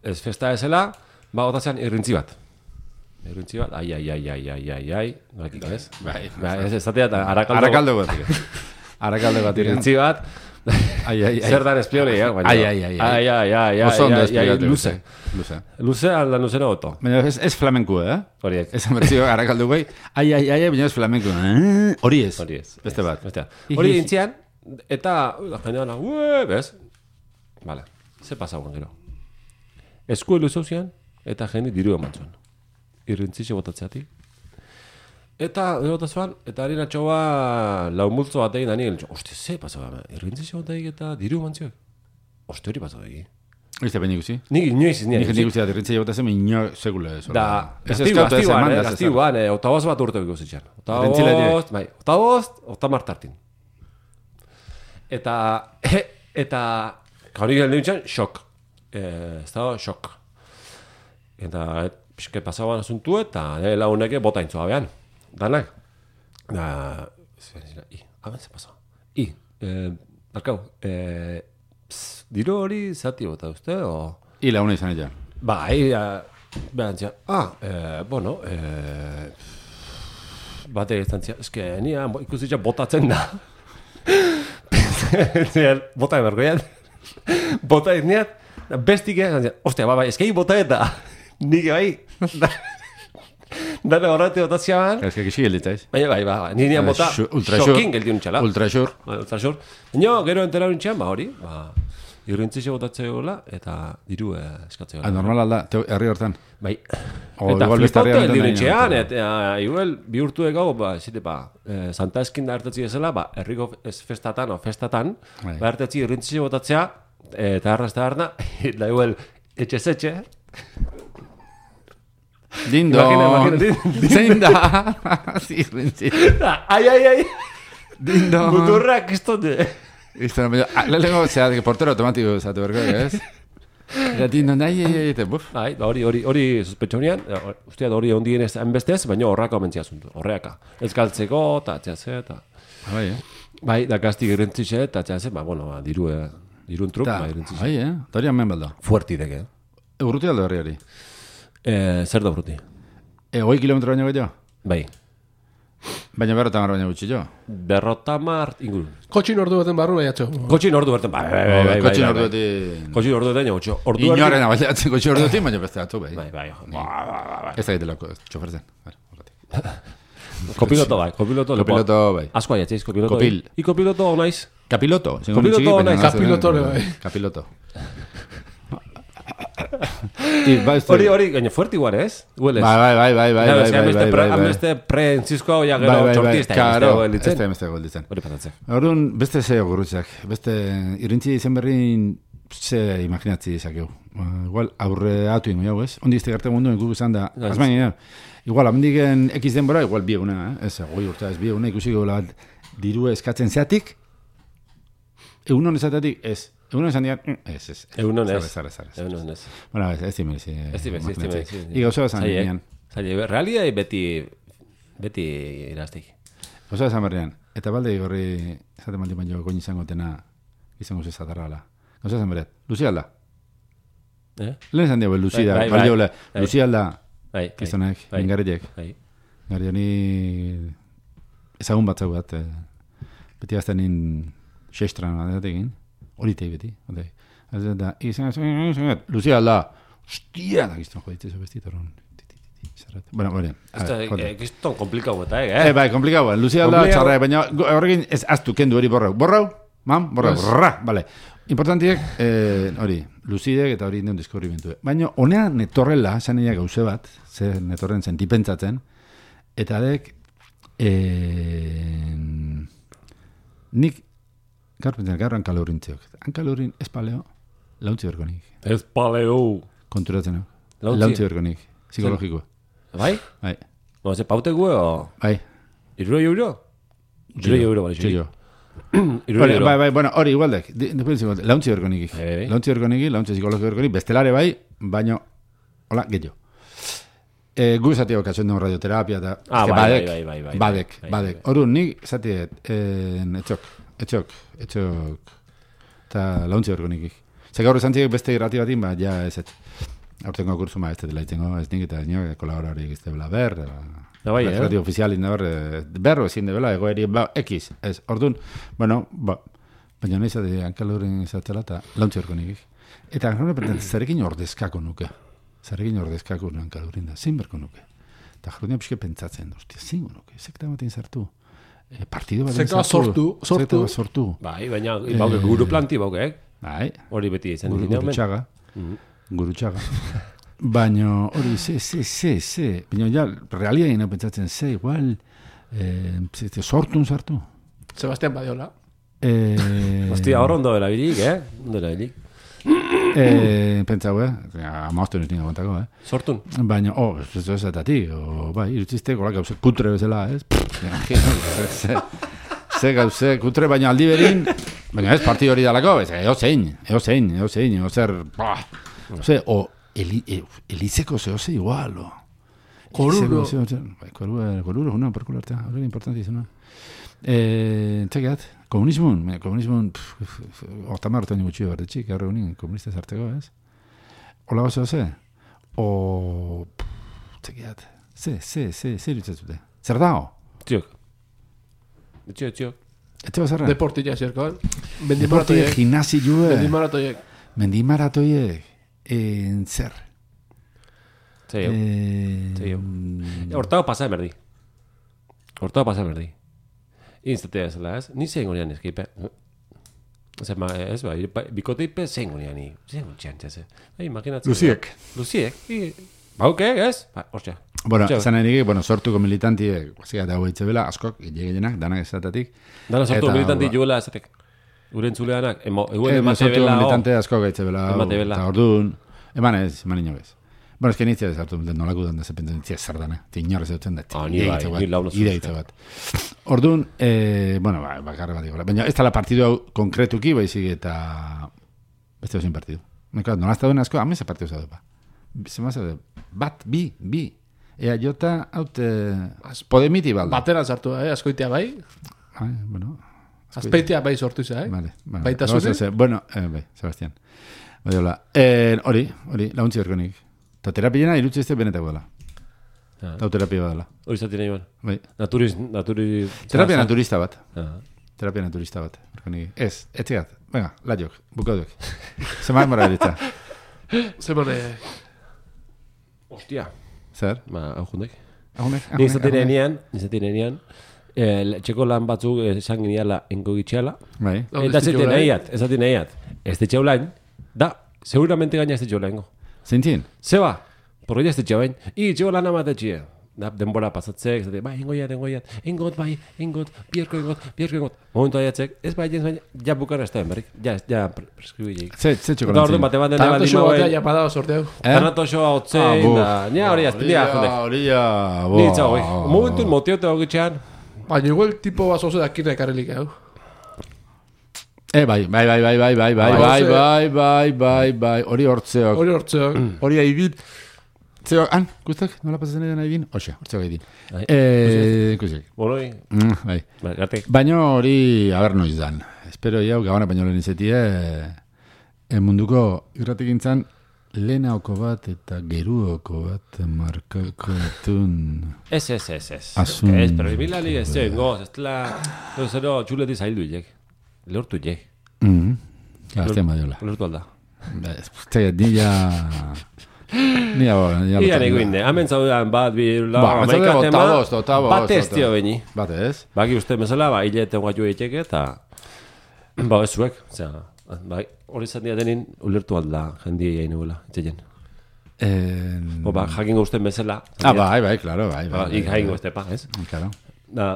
ez festa ezela, ba, otazan irrintzi bat. Irrintzi bat, ai, ai, ai, ai, ai, ai, ai, bakik ez? Bai, ez ezatea eta arakaldo... Arakaldo bat. Arakaldo bat. Irrintzi bat, ai, ai, ai. Zer dan esplioli, eh? Ai, ai, ai, ai, ai, ai, oso ondo esplikatu. Luze. Luze. Luze alda luzena oto. Baina ez flamenku, eh? Horiek. Ez amertzio arakaldo gai, ai, ai, ai, baina ez flamenku. Hori ez. Hori ez. Beste bat. Hori intzian, eta jendean, ue, bez? Vale, ze pasauan gero. Esku elu zauzian, eta jende diru emantzuen. Irrintzixe botatzeatik. Eta, botatzean, eta harin atxoa lau multzo bat egin da nien. Oste, ze pasau, irrintzixe botatik eta diru emantziok. Oste, hori pasau egin. Oizte, baina iguzi? Nik inoiz izan. Nik nik uziat, irrintzixe botatzen, ino segule. Da, gaztiguan, gaztiguan, otabaz bat urte biko zitxan. Otabaz, bai, otabaz, otamar tartin. Eta, eta, hori garen nintzen, xok. Ez da, xok. Eta, pixke pasaban asuntu eta nire laguneke bota intzoa behan. Danak. Da... I, hamen ze pasau. I, eh, barkau, eh, diro hori zati bota uste, o... I laguna izan egin. Ba, i, behan zia, ah, eh, bueno, eh, bate izan zia, eske, nia ikusitza botatzen da. Bota ebergoian. Bota izniat, bestik egin zia, ostia, ba, ba, eskei bota eta... Nik bai, dara horreti botazia ban. Ezka kixi geldita ez. Baina bai, bai, nire nian bota xokin geldi untxala. Ultrasur. Ultrasur. Baina gero entera untxean, ba hori, ba, irrintzixe botatzea gola eta diru eskatzea gola. Normal alda, herri hortan. Bai. Eta flipote eldi untxean, eta igual bihurtu ego, ba, zite, ba, Santa Eskinda hartetzi ezela, ba, herriko festatan o festatan, ba, hartetzi irrintzixe botatzea, eta arrasta harna, da igual, etxe-zetxe, Dindo. Imagina, imagina. Zein da. Sí, sí. Ai, ai, ai. Dindo. Muturrak istonde. Isto, lelego, zera, portero automatiko zatu berko, ez? Eta dindo, nahi, eta buf. Bai, hori, hori, hori sospetxonian, usteat hori ondien ez enbestez, baina horrako mentzia zuntu, horreaka. Ez galtzeko, eta txase, eta... Bai, eh? Bai, da gaztik irrentzixe, eta txase, ba, bueno, diru, dirun truk, ba, irrentzixe. Bai, eh? Eta hori hamen balda. Fuerti deke. Urruti aldo herri hori? Eh, zer da urruti? E, hoi kilometro baino gehiago? Bai. Baina berrota mar baina gutxi jo. Berrota mar inguru. Kotxin ordu baten barru bai atxo. Kotxin ordu berten, bai, bai, bai, bai. Kotxin ordu beti... Kotxin ordu beten, jo, ordu Inorena bailatzen kotxin ordu beti, baina beste atzu, bai. Bai, bai, bai. Ez da gitelako, txoferzen. Kopiloto bai, kopiloto. Kopiloto bai. Asko aiatziz, kopiloto. Kopil. I kopiloto naiz. Kapiloto. Kapiloto naiz. Kapilotore bai. Kapiloto. Hori, hori, gaino fuerte igual, ez? Hueles. Bai, bai, bai, bai, bai, bai, bai, bai, Hameste pre-entzizko ya gero txortista. Karo, ez da emeste golditzen. Hori pasatzen. Orduan, beste ze gurrutzak. Beste, irrintzi izen berrin ze imaginatzi izakeu. Igual, aurre atu ingo jau, ez? Ondi izte garte mundu, inku izan da. Azmain, igual, amendiken ekiz denbora, igual bieguna, ez? Goi urta ez bieguna, ikusi gola bat diru eskatzen zeatik, egun honezatatik, ez. Egun esan digan, ez, ez. Egun honez. Zara, zara, zara. Egun honez. Bueno, ez, ez dimezi. Ez dimezi, ez dimezi. Iga oso esan berrian. Zaila, realia beti, beti iraztik. Oso esan berrian. Eta balde igorri, esate maldi baino, goin izango tena, izango zezatarra ala. Oso esan berriat, Luzi alda. Eh? Lehen esan diago, Luzi da, balde hola. Luzi alda, kizonek, ingarriek. Gari honi, ezagun batzau bat, beti gazten nin xestran adeatekin. Hori tei beti, hori. Da, izan, Lucia alda, hostia, da gizton joditze zo bestit, horren. Bueno, bueno. Gizton komplikau eta, eh? Eh, bai, komplikau, Lucia alda, txarra, baina horrekin ez aztu kendu hori borrau. Borrau, mam, borrau, rra, bale. Importantiek, hori, Lucidek eta hori neun deskubrimentu. Baina, honean netorrela, saneia gauze bat, ze netorren sentipentsatzen, eta dek, nik, gaur pentsan, gaur hankalorintziok. Hankalorin ez paleo, launtzi berkonik. Ez paleo. Konturatzen hau. Launtzi berkonik, psikologikoa. Bai? Bai. No, ze paute gue o... Bai. Iruro euro? Iruro euro, bai. Txillo. Iruro euro. Bai, bai, bueno, hori igualdek. Launtzi berkonik. Launtzi berkonik, launtzi psikologiko berkonik, bestelare bai, baino, hola, getxo. Eh, gu zati hau katzen dugu radioterapia eta... Ah, bai, bai, bai, bai. Badek, badek. Horun, nik zati, etxok. Etxok, etxok, eta launtzi berko nikik. Zer gaur esan txik beste irrati batin, ba, ja ez ez. Aurtengo kursu ma ez dela itzengo, ez nik eta nio, kolaborari egizte bela ber, bai, eh? Radio ofizialin da ber, berro ezin de bela, egoeri, ba, ekiz, ez, orduan, bueno, ba, baina nahi zate, hankaloren izatzela eta launtzi berko nikik. Eta hankaloren zarekin ordezkako nuke, zarekin ordezkako hankaloren da, zein berko nuke. Eta jarrunia pixke pentsatzen, ostia, zein nuke, zekta batean zartu. Eh, partido bat Zeka sortu, sortu. sortu. Bai, baina bauke guru planti bauke, eh? Bai. Hori beti izan. Guru, guru txaga. Guru txaga. Baina hori, ze, ze, ze, ze. Baina ja, realia ina pentsatzen, ze, igual, eh, sortun sartu. Sebastián Badiola. Eh, Hostia, hor ondo dela bilik, eh? Ondo dela bilik. Eh, pentsau, eh? Amaztu ez ninga kontako, eh? Sortun. Baina, oh, ez ez ezatatik, o, bai, irutzizte, gola gauze kutre bezala, ez? Ze, ze gauze kutre, baina aldi berin, baina ez parti hori dalako, ez, eo zein, eo zein, eo zein, eo zer, bah, ose, o, eli, e, elizeko zeo ze igual, o. Koruro. Koruro, koruro, una, perkulartea, hori importantizuna. Eh, txekat, komunismun, komunismun, hortamar orten gutxio berdetxik, gaur egunin, komunista zarteko, ez? Ola oso, ze? O, txekat, ze, ze, ze, ze irutzatzute? Zer dao? Txiok. Txiok, txiok. Etxeo zerra? Deportilla zerko, eh? Deportilla, gimnasi jue. Mendimaratoiek. Mendimaratoiek. En zer? Zeio. Zeio. Hortago pasa berdi. Hortago pasa berdi. Instatea zela, ez? Ni zein gonean eskipe. Zer, ma, ez ba, bikoteipe zein gonean ni. Zein gonean txase. Imaginatzen. Luziek. Luziek. Bauke, ez? Ba, hostia. Bueno, zan erik, bueno, sortuko militantiek, guazik eta hau eitze bela, askok, gehiagenak, danak ezatatik. Dana sortuko militanti juela ezatek. Uren zuleanak, eguen emate bela. Sortuko militante askok eitze bela. Emate bela. Eta orduan, eman ez, eman inogez. Bueno, es que nitzia desartu, nolako dan da zepentzen nitzia zardana. Ti inorrez eutzen da. Ah, ni bai, ni launa zuzte. Ide bat. Orduan, eh, bueno, ba, bakarra bat iguala. Baina ez da la partidu hau konkretuki, baizik eta... Beste hau partidu. Nolako, nolazta duen asko, hame ze partidu zadu, ba. Zemaz, bat, bi, bi. Ea jota, haute... Podemiti balda. Batera zartu, eh? Askoitea bai. Ai, bueno... Azpeitea bai sortu za, eh? Vale, vale. Baita zure? Bueno, eh, bai, Sebastián. Bai, hola. Eh, hori, hori, launtzi berkonik. Eta terapiena irutzi ez benetako dela. Eta terapia badala. Hori zaten nahi ban. Bai. Naturiz, naturi... Terapia naturista bat. Ah. Terapia naturista bat. Ez, etzigat. Venga, laiok, bukaduek. Zeman mara edita. Zemane... Ostia. Zer? Ba, hau jundek. Ahunek, Ni izaten enean, izaten enean, eh, txeko lan batzuk esan gineala enko gitxeala. Bai. Eta ez zaten nahiat, ez zaten nahiat. Ez te txaulain, da, seguramente gaina ez te txaulaingo. Zeintzien? Zeba, porro ez te txaulain, i, txeko lan amatetxia. Da, denbora pasatzek, zate, bai, engoiat, engoiat, engot, bai, engot, bierko engot, bierko engot. Momentu aiatzek, ez bai, ez bai, ja bukara ez da berrik, ja, ja, preskribilleik. Ze, ze txoko Eta lantzien? orduan bate bat dene Tanato bali xo batea mauen, japadao sorteu. tanato xoa otzein, da, nia hori azte, nia jondek. Horia, bo. Nitza hoi, momentu motiote hogitxean, Baina igual tipo bat zoze dakine ekarrelik, hau. Eh, bai, bai, bai, bai, bai, bai, bai, bai, bai, bai, bai, bai, hori hortzeok. Hori hortzeok. Hori aibit. Zeo, han, guztak, nola pasatzen edan aibin? Oxe, hortzeok aibin. Bai. Eh, kusik. boloi, Mm, bai. ba, garte. Baina hori, haber noiz dan. Espero jau, gabana baino lehen izetie, e, munduko irratik gintzan, lehenaoko bat eta geruoko bat markako etun. Ez, ez, ez, ez. Asun. Ez, pero ibilali ez zen, goz, ez dela, no, zero, txuleti zaildu ilek. Lehortu ilek. Mm. Gaztean badiola. Lehortu alda. Zega, ni ja... Ni ja... Ia nego inde, hemen zaudean bat, bi, la, Ba, amaika zaude, tema, ota bost, ota bost, bat ez ota. tio beni. Bate ez? Baki uste bezala, ba, hilete guatu eiteke, eta, ba, ez zuek, zera, bai, hori zan diatenin, ulertu alda, jendia egin nuela, itxeien. Eh, O, ba, jakingo usten bezala. ah, bai, bai, claro, bai. Ba, bai, ik bai, jakingo bai. este pa, ez? Claro. Da,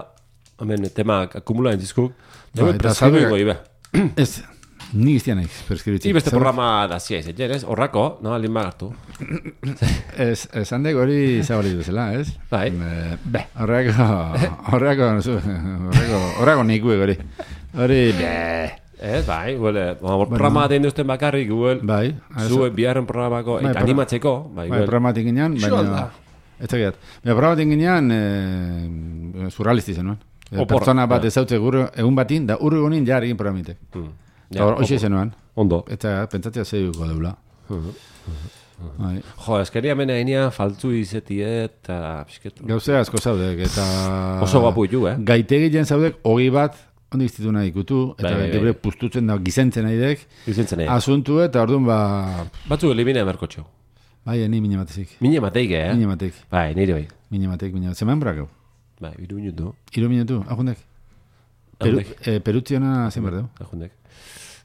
hemen, tema akumula entzizkuk, Ba, Bai, eta preskribuiko zabe- ibe. Ez, ni iztian eiz, perskribitzen. I beste programa da zia izaten, ez? Horrako, no, alin magartu. Ez, esan dek hori zabali duzela, ez? Bai. Eh, Be, horreko, horreko, horreko, horreko nikue hori. Hori, be. Ez, bai, huele, programa aten duzten bakarrik, huel, Bai. zue biharren programako, Bai, eta pro- animatzeko, bai, Bai, huel. programatik ginean, Xo baina... alda. Ez tegiat. Baina programatik ginean, eh, surrealisti zenuen. Eh, Opor, Pertsona bat ja. ezautze gure, egun batin, da urru egunin jar egin programitek. Mm. Eta hor, hoxe opo. zenuen. Ondo. Eta pentsatzea zeiuko deula. Bai. Jo, eskeria mena enean faltzu izetie eta pixket. Gauze asko zaudek, eta... Oso guapu ditu, eh? Gaitegilean zaudek, hogei bat, ondo iztitu nahi ikutu, eta Bai, bai, bai. gebre pustutzen da, gizentzen nahi dek, Izentzen egin. asuntu eta orduan ba... Batzuk elimina emerkotxo. Bai, ni mine matezik. Mine mateik, eh? Mine mateik, Bai, nire bai. mine mateik, mine mateik. Zeman brakau? Bai, iru minutu. Iru minutu, ahundek. Peru, Ahundek. eh, perutziona zen berdeu. Ajundek.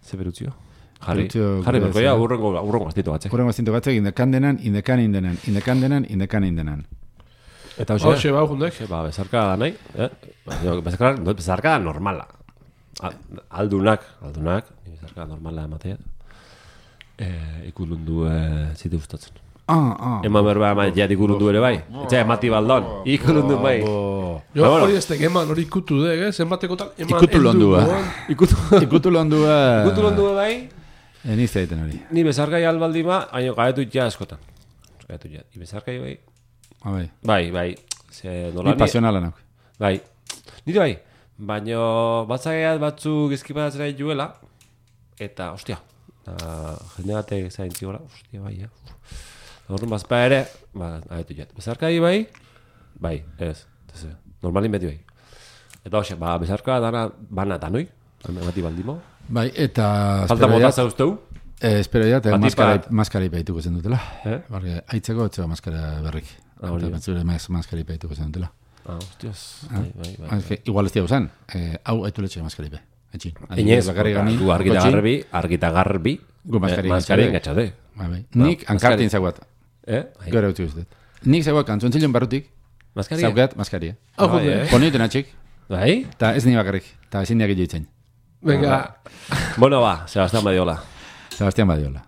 Ze berutzio? Jarri, Berutzio jarri gure berko, ja, zera. urrengo, urrengo gaztitu batzek. Horren gaztinto batzek, indekan denan, indekan indenan, indekan denan, indekan indenan. Eta Hau, hoxe, xe, bau, jundek. ba, bezarka da nahi, eh? Jo, bezarka, bezarka da normala. Al- Aldunak, aldunak, ni bezarka normala ematea. Eh, ikulundu eh, zite gustatzen. Ah, ah. Eman berba ama jat ikulundu ere bai. Eta emati baldon, ikulundu bai. Bo. Jo, Ba, bueno. hori ez tek eman, hori ikutu dek, eh? Zenbatekotan eman Ikutu heldu, londua. goan. Ikutu, Ikutu londua... ikutu londu bai. Eniz egiten hori. Ni bezarkai albaldi ma, baina gaetu ja askotan. Gaetu ja. I bezarkai bai. Ah, bai. Bai, bai. Ze nola Ni pasionala nauk. Bai. Nire bai. Baina batzaiat batzuk izkipadatzen nahi juela. Eta, ostia. Uh, jende batek zain zigora. Ostia, bai, ja. Horren bazpa ere, ba, ahetu jat. Bezarkai bai, bai, ez. ez, Normalin beti bai. Eta hoxe, ba, bezarka dana, bana danoi. Emati baldimo. Bai, eta... Falta espero mota jat- zauzteu. Eh, espero ja, eta Batik maskara, bat. maskara ipaituko zen dutela. Eh? Barge, aitzeko etzeko maskara berrik. Ah, hori Eta da. batzure mas, maskara ipaituko zen dutela. Ah, hostias. Bai, bai, bai. Ah, es que igual ez diago zen, eh, hau aitu letxe maskara ipe. Etxin. Inez, bakarri gani. du argita gotxin. garbi, argita garbi. Gu maskari eh, maskari engatxade. engatxade. Bai, bai. Ba, Nik ankartin maskari. zaguat. Eh? Bai. Gora utzi guztet. Nik zaguat kantzontzilon barrutik, Maskaria? zaukat maskaria. Hau, Bai, junde. eh? Ponioiten atxik, Bai? eta ez ni bakarrik, eta ezin diak ditzen. Venga. Bueno, ba, Sebastián Badiola. Sebastián Badiola.